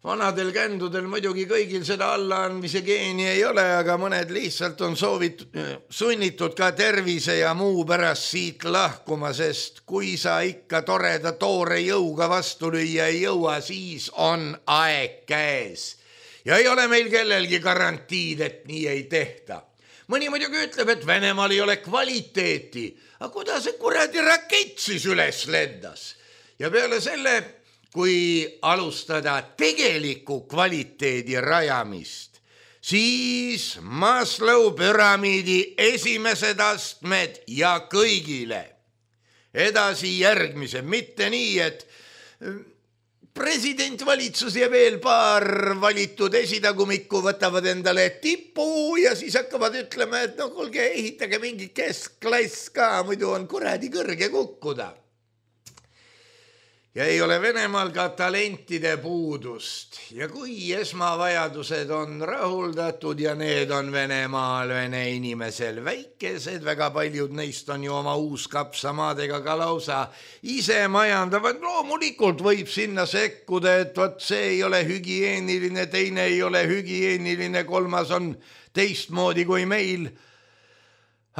Vanadel kändudel muidugi kõigil seda allaandmise geeni ei ole, aga mõned lihtsalt on sunnitud ka tervise ja muu pärast siit lahkuma, sest kui sa ikka toreda toore jõuga vastu lüüa ei jõua, siis on aeg käes. Ja ei ole meil kellelgi garantiid, et nii ei tehta. Mõni muidugi ütleb, et Venemaal ei ole kvaliteeti, aga kuidas see kuradi rakett siis üles lendas? Ja peale selle, kui alustada tegeliku kvaliteedi rajamist, siis Maslow püramiidi esimesed astmed ja kõigile. Edasi järgmise, mitte nii, et president, valitsus ja veel paar valitud esitagumikku võtavad endale tipu ja siis hakkavad ütlema, et kuulge, ehitage mingi keskklass ka, muidu on kuradi kõrge kukkuda. Ja ei ole Venemaal ka talentide puudust. Ja kui esmavajadused on rahuldatud ja need on Venemaal, vene inimesel väikesed, väga paljud neist on ju oma uuskapsamaadega ka lausa ise majandavad. Loomulikult võib sinna sekkuda, et võt see ei ole hügieeniline, teine ei ole hügieeniline, kolmas on teistmoodi kui meil.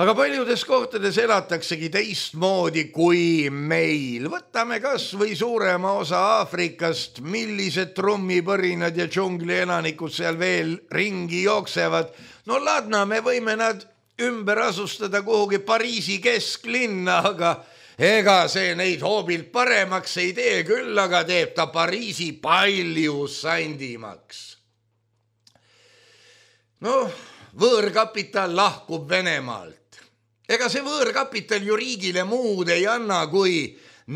Aga paljudes kohtades elataksegi teistmoodi kui meil. Võtame kas või suurema osa Aafrikast, millised trummipõrinad ja džungli elanikud seal veel ringi jooksevad. Ladna, me võime nad ümber asustada kuhugi Pariisi kesklinna, aga ega see neid hoobilt paremaks ei tee, küll aga teeb ta Pariisi palju sandimaks. Võõrkapital lahkub Venemaalt. Ega see võõrkapital ju riigile muud ei anna kui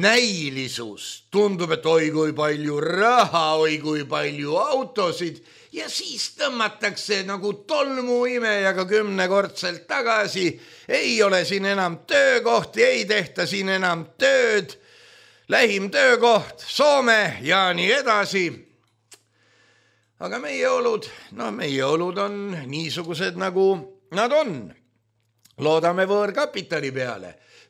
näilisus. Tundub, et oi kui palju raha, oi kui palju autosid ja siis tõmmatakse nagu tolmuimejaga 10-kordselt tagasi. Ei ole siin enam töökohti, ei tehta siin enam tööd. Lähim töökoht Soome ja nii edasi. Aga meie olud on niisugused nagu nad on. Loodame võõrkapitali peale.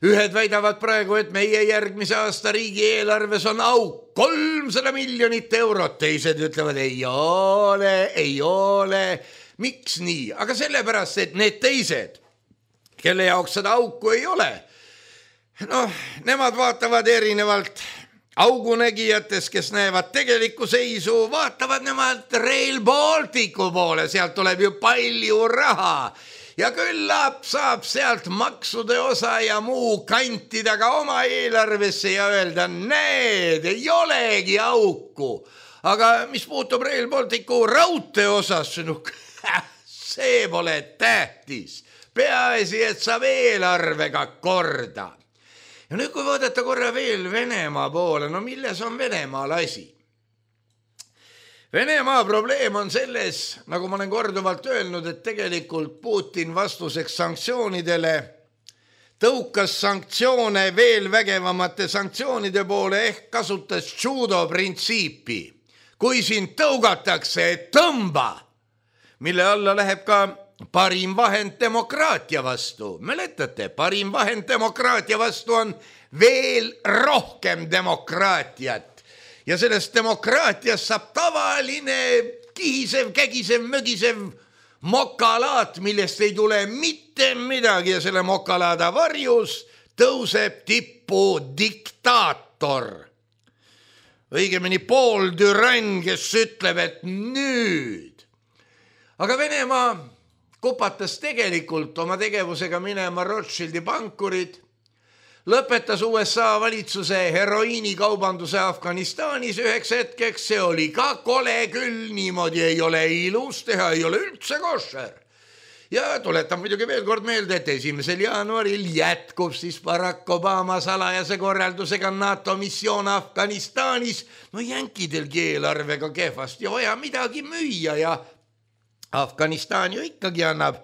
Ühed väidavad praegu, et meie järgmise aasta riigieelarves on auk 300 miljonit eurot. Teised ütlevad, ei ole. Miks nii? Aga sellepärast, et need teised, kelle jaoks seda auku ei ole, nemad vaatavad erinevalt augunägijates, kes näevad tegelikku seisu, vaatavad nemad Rail Balticu poole, sealt tuleb ju palju raha. Ja küllap saab sealt maksude osa ja muu kantida ka oma eelarvesse ja öelda, need ei olegi auku. Aga mis puutub Rail Balticu raudtee osas, see pole tähtis. Peaasi, et saab eelarvega korda. Ja nüüd, kui vaadata korra veel Venemaa poole, milles on Venemaal asi? Venemaa probleem on selles, nagu ma olen korduvalt öelnud, et tegelikult Putin vastuseks sanktsioonidele tõukas sanktsioone veel vägevamate sanktsioonide poole ehk kasutas judo printsiipi. Kui sind tõugatakse, tõmba, mille alla läheb ka parim vahend demokraatia vastu. Mäletate, parim vahend demokraatia vastu on veel rohkem demokraatiat. Ja sellest demokraatiast saab tavaline kihisev, kägisev, mögisev mokalaat, millest ei tule mitte midagi ja selle mokalaada varjus tõuseb tippu diktaator. Õigemini Paul Duran, kes ütleb, et nüüd. Aga Venemaa kupatas tegelikult oma tegevusega minema Rothschildi pankurid, lõpetas USA valitsuse heroiinikaubanduse Afganistanis üheks hetkeks, see oli ka kole küll, niimoodi ei ole ilus teha, ei ole üldse košer. Ja tuletan muidugi veel kord meelde, et 1. jaanuaril jätkub siis Barack Obama salajase korraldusega NATO missioon Afganistanis. No jänkidelgi eelarvega kehvasti ja vaja midagi müüa ja Afganistan ju ikkagi annab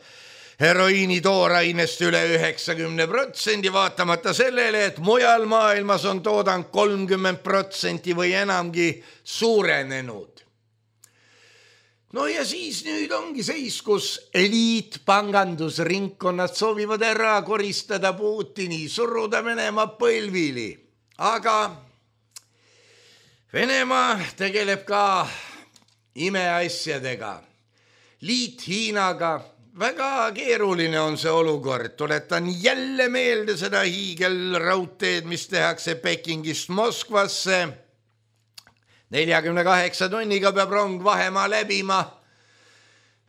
heroiini toorainest üle 90%, vaatamata sellele, et mujal maailmas on toodang 30% või enamgi suurenenud. No ja siis nüüd ongi seis, kus eliitpangandusringkonnad soovivad ära koristada Putini, suruda Venemaa põlvili. Aga Venemaa tegeleb ka imeasjadega. Liit Hiinaga, väga keeruline on see olukord. Tuletan jälle meelde seda hiigelraudteed, mis tehakse Pekingist Moskvasse. 48 tunniga peab rong vahemaa läbima.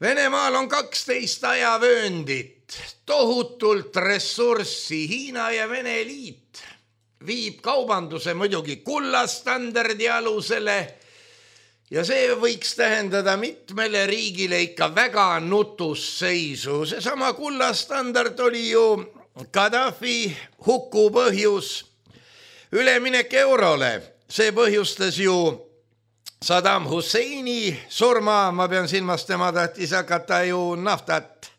Venemaal on 12 ajavööndit, tohutult ressurssi. Hiina ja Vene liit viib kaubanduse muidugi kullastandardi alusele ja see võiks tähendada mitmele riigile ikka väga nutusseisu. Seesama kullastandard oli ju Gaddafi huku põhjus, üleminek eurole. See põhjustas ju Saddam Husseini surma, ma pean silmas, tema tahtis hakata ju naftat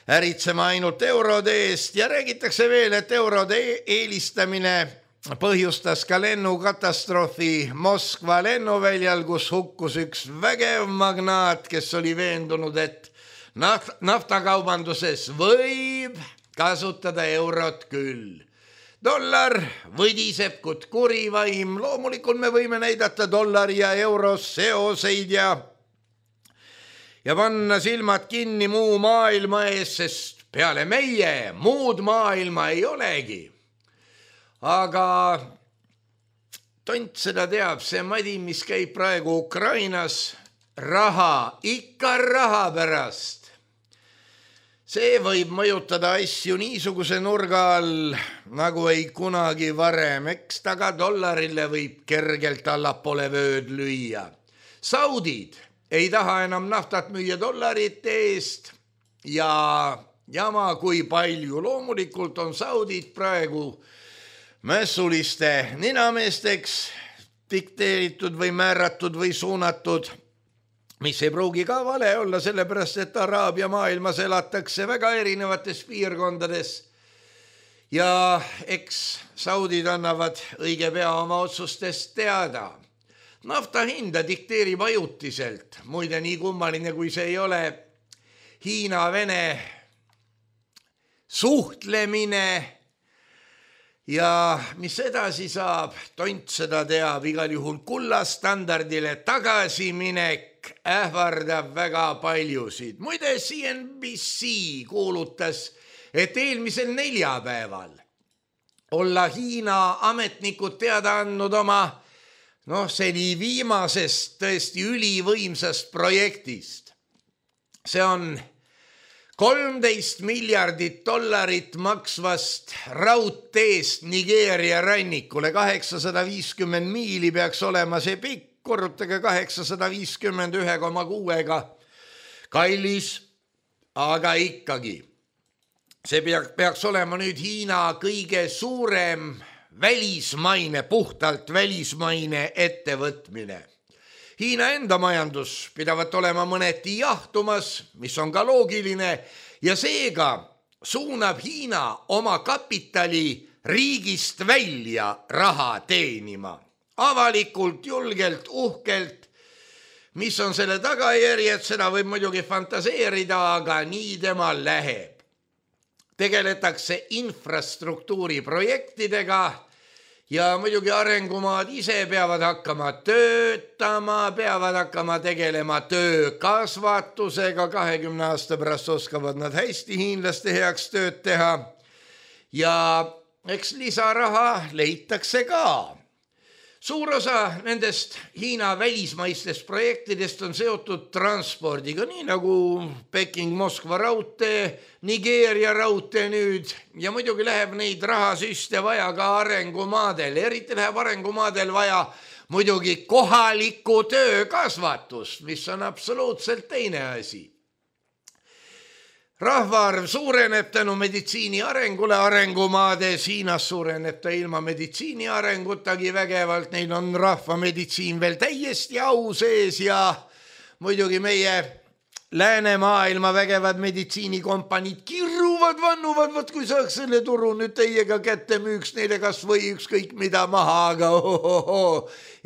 äritsema ainult eurode eest ja räägitakse veel, et eurode eelistamine põhjustas ka lennukatastroofi Moskva lennuväljal, kus hukkus üks vägev magnaat, kes oli veendunud, et naftakaubanduses võib kasutada eurot küll. Dollar võdiseb kui kurivaim, loomulikult me võime näidata dollari ja euros seoseid ja panna silmad kinni muu maailma ees, sest peale meie muud maailma ei olegi. Aga tont seda teab, see madi, mis käib praegu Ukrainas, raha, ikka raha pärast. See võib mõjutada asju niisuguse nurga all, nagu ei kunagi varem. Eks taga dollarile võib kergelt allapoole vööd lüüa. Saudid ei taha enam naftat müüa dollarite eest ja jama kui palju. Loomulikult on saudid praegu mässuliste ninameesteks dikteeritud või määratud või suunatud, mis ei pruugi ka vale olla, sellepärast, et Araabia maailmas elatakse väga erinevates piirkondades ja eks saudid annavad õige pea oma otsustest teada. Nafta hinda dikteerib ajutiselt, muide nii kummaline kui see ei ole, Hiina-Vene suhtlemine ja mis edasi saab, tont seda teab, igal juhul kullastandardile tagasiminek ähvardab väga paljusid. Muide, CNBC kuulutas, et eelmisel neljapäeval olla Hiina ametnikud teada andnud oma seni viimasest tõesti ülivõimsast projektist. See on $13 miljardit maksvast raudteest Nigeeria rannikule. 850 miili peaks olema see pikk, korrutage 850 1,6-ga. Kallis, aga ikkagi. See peaks olema nüüd Hiina kõige suurem välismaine, puhtalt välismaine ettevõtmine. Hiina enda majandus pidavat olema mõneti jahtumas, mis on ka loogiline, ja seega suunab Hiina oma kapitali riigist välja raha teenima. Avalikult, julgelt, uhkelt. Mis on selle tagajärjed, seda võib muidugi fantaseerida, aga nii temal läheb. Tegeletakse infrastruktuuri projektidega ja muidugi arengumaad ise peavad hakkama töötama, peavad hakkama tegelema töökasvatusega, 20 aasta pärast oskavad nad hästi hiinlaste heaks tööd teha ja eks lisaraha leitakse ka. Suur osa nendest Hiina välismaistest projektidest on seotud transpordiga, nii nagu Peking-Moskva raudtee, Nigeeria raudtee nüüd ja muidugi läheb neid rahasüste vaja ka arengumaadel. Eriti läheb arengumaadel vaja muidugi kohalikku töökasvatust, mis on absoluutselt teine asi. Rahvaarv suureneb tänu meditsiini arengule arengumaades, Hiinas suureneb ta ilma meditsiini arengutagi vägevalt, neil on rahvameditsiin veel täiesti au sees ja muidugi meie läänemaailma vägevad meditsiinikompaniid kirruvad, vannuvad, võt kui saaks selle turu nüüd teiega kätte müüks neile kas või ükskõik mida maha, aga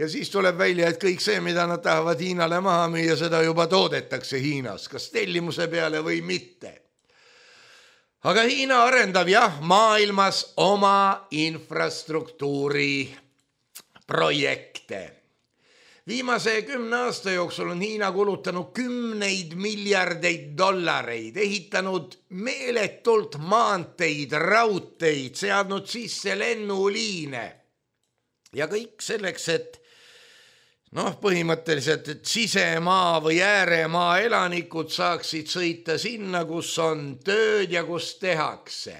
ja siis tuleb välja, et kõik see, mida nad tahavad Hiinale maha müüa, seda juba toodetakse Hiinas, kas tellimuse peale või mitte. Aga Hiina arendab maailmas oma infrastruktuuri projekte. Viimase 10 aasta jooksul on Hiina kulutanud 10 miljardeid dollareid, ehitanud meeletult maanteid, raudteid, seadnud sisse lennuliine. Ja kõik selleks, et põhimõtteliselt, et sisemaa või ääremaa elanikud saaksid sõita sinna, kus on tööd ja kus tehakse.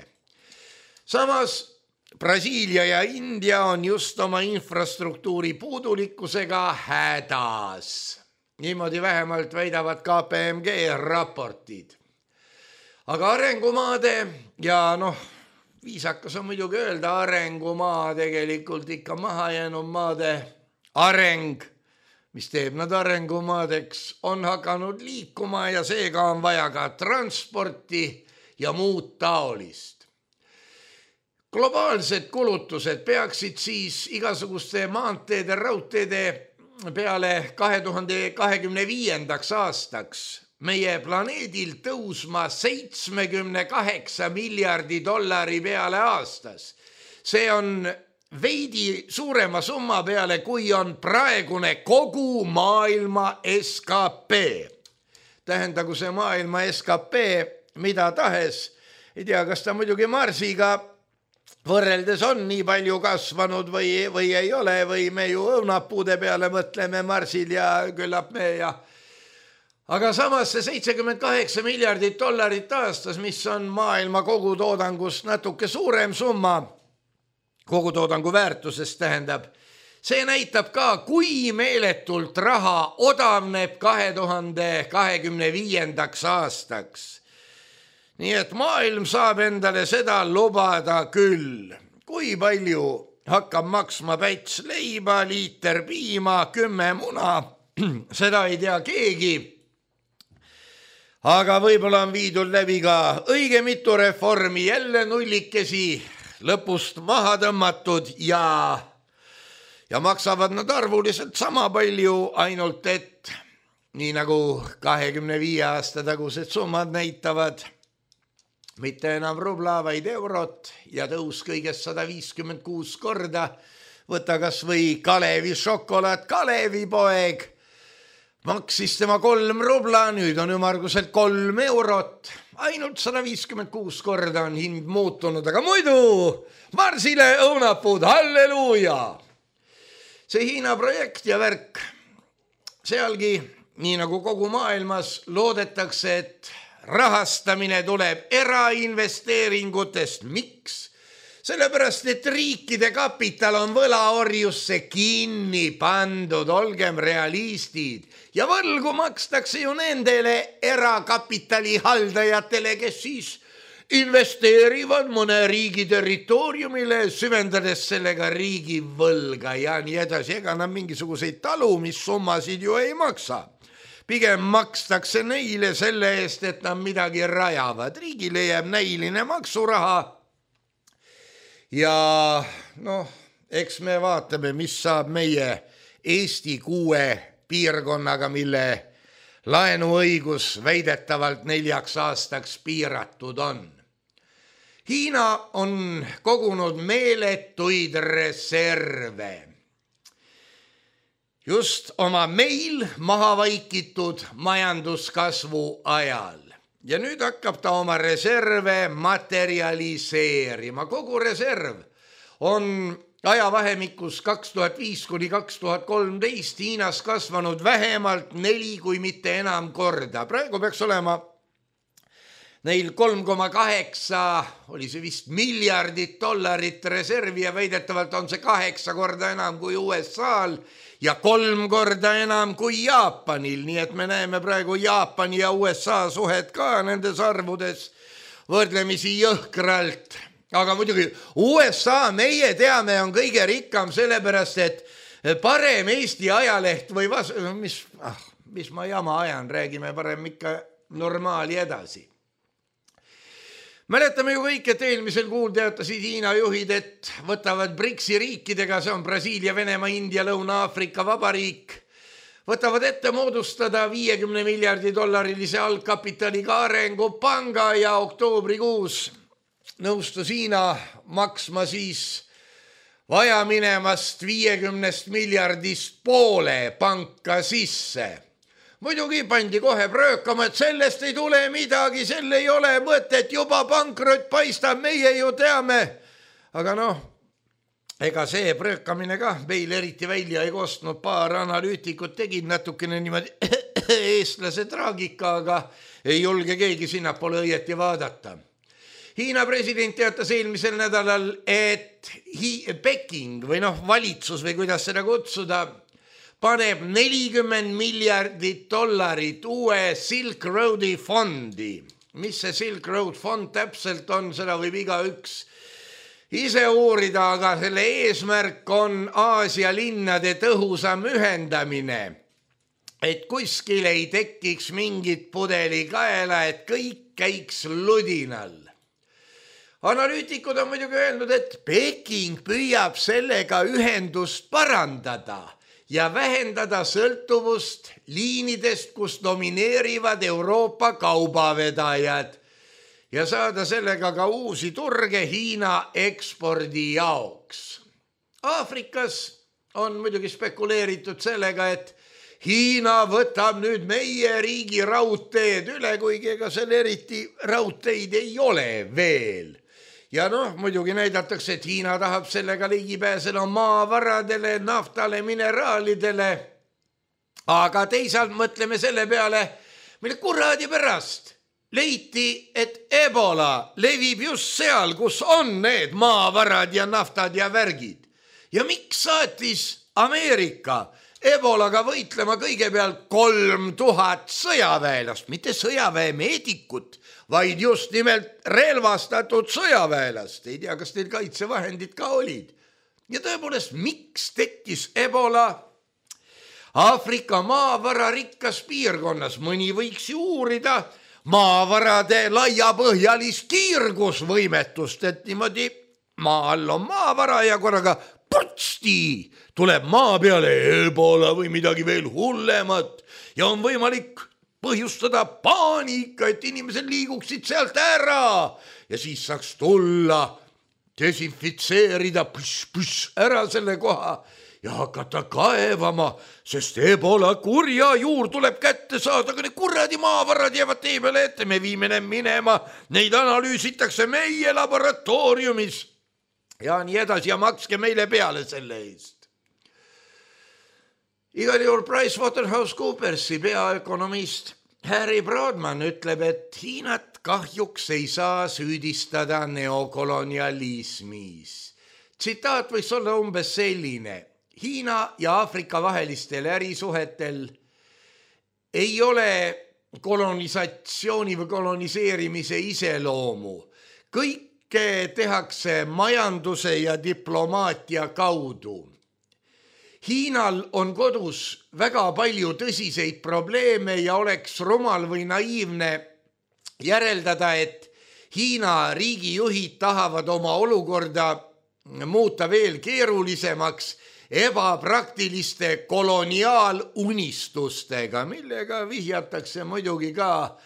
Samas Brasiilia ja India on just oma infrastruktuuri puudulikkusega hädas. Niimoodi vähemalt väidavad KPMG raportid. Aga arengumaade ja viisakas on muidugi öelda arengumaa, tegelikult ikka mahajäänud maade areng, mis teeb nad arengumaadeks, on hakanud liikuma ja seega on vaja ka transporti ja muud taolist. Globaalsed kulutused peaksid siis igasuguste maanteede, raudteede peale 2025. aastaks meie planeedil tõusma 78 miljardi dollari peale aastas. See on veidi suurema summa peale, kui on praegune kogu maailma SKP. Tähendagu see maailma SKP mida tahes. Ei tea, kas ta muidugi Marsiga võrreldes on nii palju kasvanud või ei ole, või me ju õunapuude peale mõtleme Marsil ja küllap me ja. Aga samas see 78 miljardit dollarit aastas, mis on maailma kogutoodangust natuke suurem summa, kogutoodangu väärtusest tähendab, see näitab ka, kui meeletult raha odavneb 2025. aastaks. Nii et maailm saab endale seda lubada küll. Kui palju hakkab maksma päts leiba, liiter piima, 10 muna, seda ei tea keegi. Aga võib-olla on viidud läbi ka õige mitu reformi, jälle nullikesi lõpust maha tõmmatud ja maksavad nad arvuliselt sama palju, ainult et nii nagu 25 aasta tagused summad näitavad, mitte enam rubla, vaid eurot ja tõus kõigest 156 korda. Võta kas või Kalevi šokolaad, Kalevi poeg. Maksis tema 3 rubla, nüüd on ümmarguselt 3 eurot. Ainult 156 korda on hind muutunud, aga muidu Marsile õunapuud, halleluuja! See Hiina projekt ja värk, sealgi, nii nagu kogu maailmas, loodetakse, et rahastamine tuleb erainvesteeringutest. Miks? Sellepärast, et riikide kapital on võlaorjusse kinni pandud, olgem realistid. Ja võlgu makstakse ju nendele erakapitali haldajatele, kes siis investeerivad mõne riigi territooriumile, süvendades sellega riigi võlga ja nii edasi. Ega nad mingisuguseid talumissummasid ju ei maksa. Pigem makstakse neile selle eest, et nad midagi rajavad. Riigile jääb näiline maksuraha. Ja eks me vaatame, mis saab meie Eesti 6 piirkonnaga, mille laenuõigus väidetavalt 4 aastaks piiratud on. Hiina on kogunud meeletuid reserve. Just oma meil maha vaikitud majanduskasvu ajal. Ja nüüd hakkab ta oma reserve materialiseerima. Kogu reserv on ajavahemikus 2005 kuni 2013 Hiinas kasvanud vähemalt 4 kui mitte enam korda. Praegu peaks olema neil 3,8 oli see vist miljardit dollarit reservi ja väidetavalt on see 8 korda enam kui USA-l ja 3 korda enam kui Jaapanil. Nii et me näeme praegu Jaapani ja USA suhet ka nendes arvudes võrdlemisi jõhkralt. Aga muidugi USA, meie teame, on kõige rikkam sellepärast, et parem Eesti ajaleht või mis ma jama ajan, räägime parem ikka normaali edasi. Mäletame ju kõik, et eelmisel kuul teatasid Hiina juhid, et võtavad BRICS-i riikidega, see on Brasiilia, Venemaa, India, Lõuna-Aafrika Vabariik, võtavad ette moodustada 50 miljardi dollarilise algkapitaliga arengupanga ja oktoobrikuus nõustus Hiina maksma siis vaja minemast 50 miljardist poole panka sisse. Muidugi pandi kohe pröökama, et sellest ei tule midagi, selle ei ole mõtet, juba pankrot paistab, meie ju teame. Aga ega see pröökamine ka meil eriti välja ei kostnud, paar analüütikut tegid natukene niimoodi eestlase traagika, aga ei julge keegi sinnapoole õieti vaadata. Hiina president teatas eelmisel nädalal, et Peking või valitsus või kuidas seda kutsuda, paneb 40 miljardit dollarit uue Silk Roadi fondi. Mis see Silk Road fond täpselt on, seda võib igaüks ise uurida, aga selle eesmärk on Aasia linnade tõhusam ühendamine. Et kuskil ei tekiks mingit pudelikaela, et kõik käiks ludinal. Analüütikud on muidugi öelnud, et Peking püüab sellega ühendust parandada ja vähendada sõltuvust liinidest, kus domineerivad Euroopa kaubavedajad ja saada sellega ka uusi turge Hiina ekspordi jaoks. Aafrikas on muidugi spekuleeritud sellega, et Hiina võtab nüüd meie riigi raudteed üle, kuigi ega seal eriti raudteid ei ole veel. Ja muidugi näidatakse, et Hiina tahab sellega ligi pääseda maavaradele, naftale, mineraalidele. Aga teisalt mõtleme selle peale, mille kuradi pärast leiti, et Ebola levib just seal, kus on need maavarad ja naftad ja värgid. Ja miks saatis Ameerika Ebolaga võitlema kõigepealt 3000 sõjaväelast, mitte sõjaväemeedikut, vaid just nimelt relvastatud sõjaväelast. Ei tea, kas teil kaitsevahendid ka olid. Ja tõepoolest, miks tekkis Ebola Aafrika maavararikkas piirkonnas? Mõni võiks ju uurida maavarade laiapõhjalist kiirgusvõimetust, et niimoodi maa all on maavara ja korraga putsti tuleb maa peale Ebola või midagi veel hullemat ja on võimalik põhjustada paanika, et inimesed liiguksid sealt ära ja siis saaks tulla, desinfitseerida ära selle koha ja hakata kaevama, sest Ebola kurja juur tuleb kätte saada, aga need kuradi maavarad jäävad tee peale ette, me viime need minema, neid analüüsitakse meie laboratooriumis ja nii edasi ja makske meile peale selle eest. Igal juhul PricewaterhouseCoopersi peaökonomist Harry Broadman ütleb, et Hiinat kahjuks ei saa süüdistada neokolonialismis. Tsitaat võiks olla umbes selline. Hiina ja Aafrika vahelistel ärisuhetel ei ole kolonisatsiooni või koloniseerimise iseloomu. Kõike tehakse majanduse ja diplomaatia kaudu. Hiinal on kodus väga palju tõsiseid probleeme ja oleks rumal või naiivne järeldada, et Hiina riigijuhid tahavad oma olukorda muuta veel keerulisemaks, ebapraktiliste koloniaalunistustega, millega vihjatakse muidugi ka,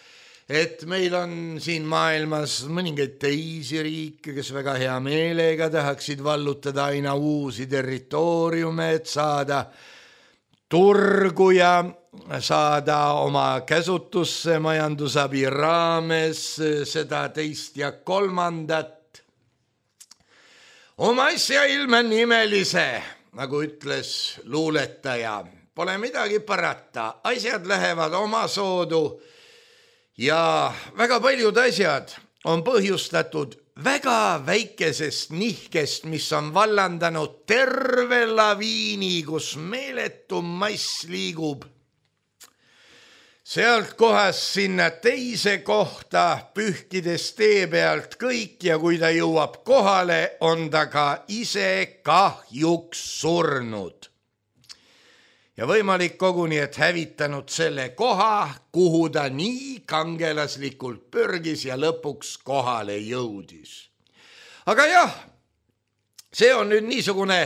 et meil on siin maailmas mõningaid teisi riike, kes väga hea meelega tahaksid vallutada aina uusi territooriume, et saada turgu ja saada oma käsutusse majandusabi raames seda teist ja kolmandat. Oma asja ilme nimelise, nagu ütles luuletaja, pole midagi parata, asjad lähevad omasoodu ja väga paljud asjad on põhjustatud väga väikesest nihkest, mis on vallandanud terve laviini, kus meeletu mass liigub sealt kohast sinna teise kohta, pühkides tee pealt kõik ja kui ta jõuab kohale, on ta ka ise kahjuks surnud. Ja võimalik koguni, et hävitanud selle koha, kuhu ta nii kangelaslikult pürgis ja lõpuks kohale jõudis. Aga jah, see on nüüd niisugune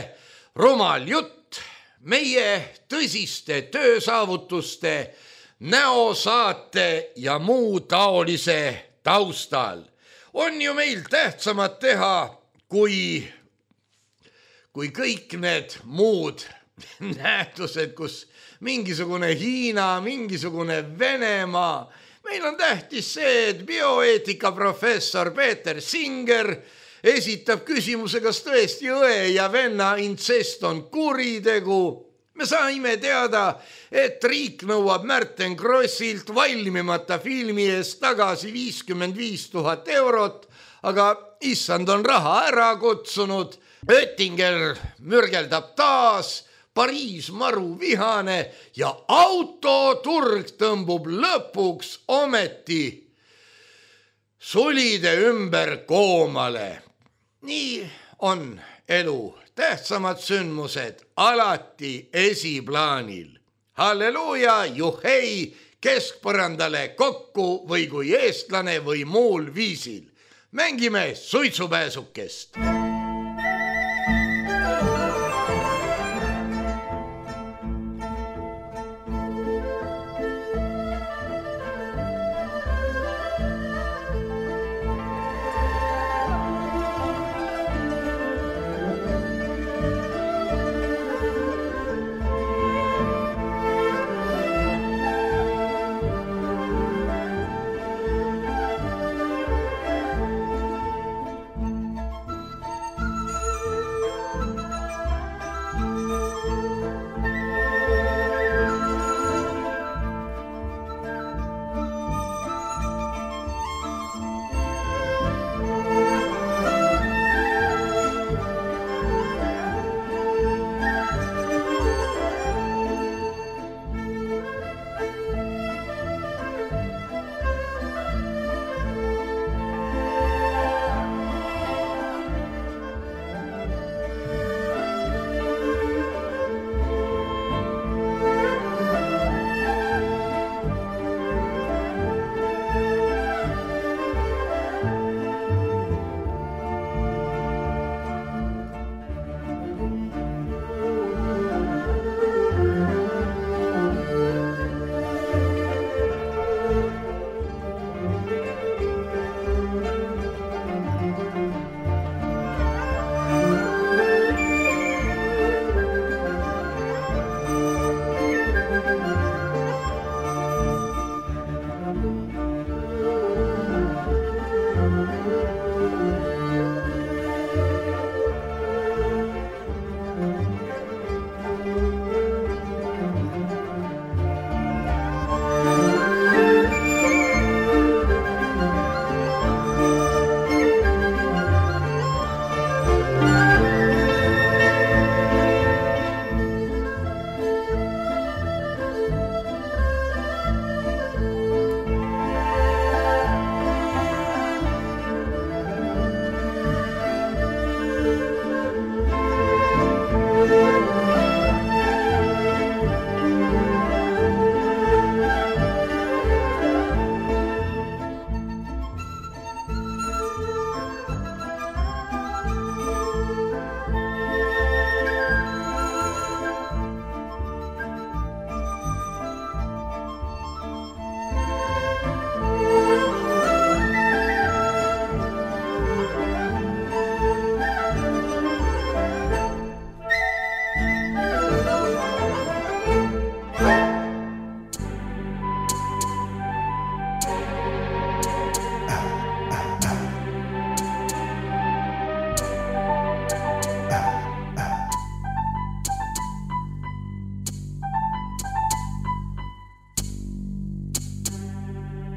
rumal jutt meie tõsiste töösaavutuste, näosaate ja muu taolise taustal. On ju meil tähtsamad teha, kui kõik need muud nähtused, kus mingisugune Hiina, mingisugune Venemaa. Meil on tähtis see, et bioeetika professor Peeter Singer esitab küsimuse, kas tõesti õe ja venna intsest on kuritegu. Me saime teada, et riik nõuab Märten Krossilt valmimata filmi eest tagasi 55 000 eurot, aga issand on raha ära kutsunud. Oettinger mürgeldab taas, Pariis maru vihane ja autoturg tõmbub lõpuks ometi sulide ümber koomale. Nii on elu. Tähtsamad sündmused alati esiplaanil. Halleluuja, juhei, keskpõrandale kokku või kui eestlane või muul viisil. Mängime suitsupääsukest.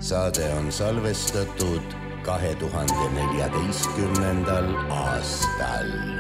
saade on salvestatud 2014. aastal.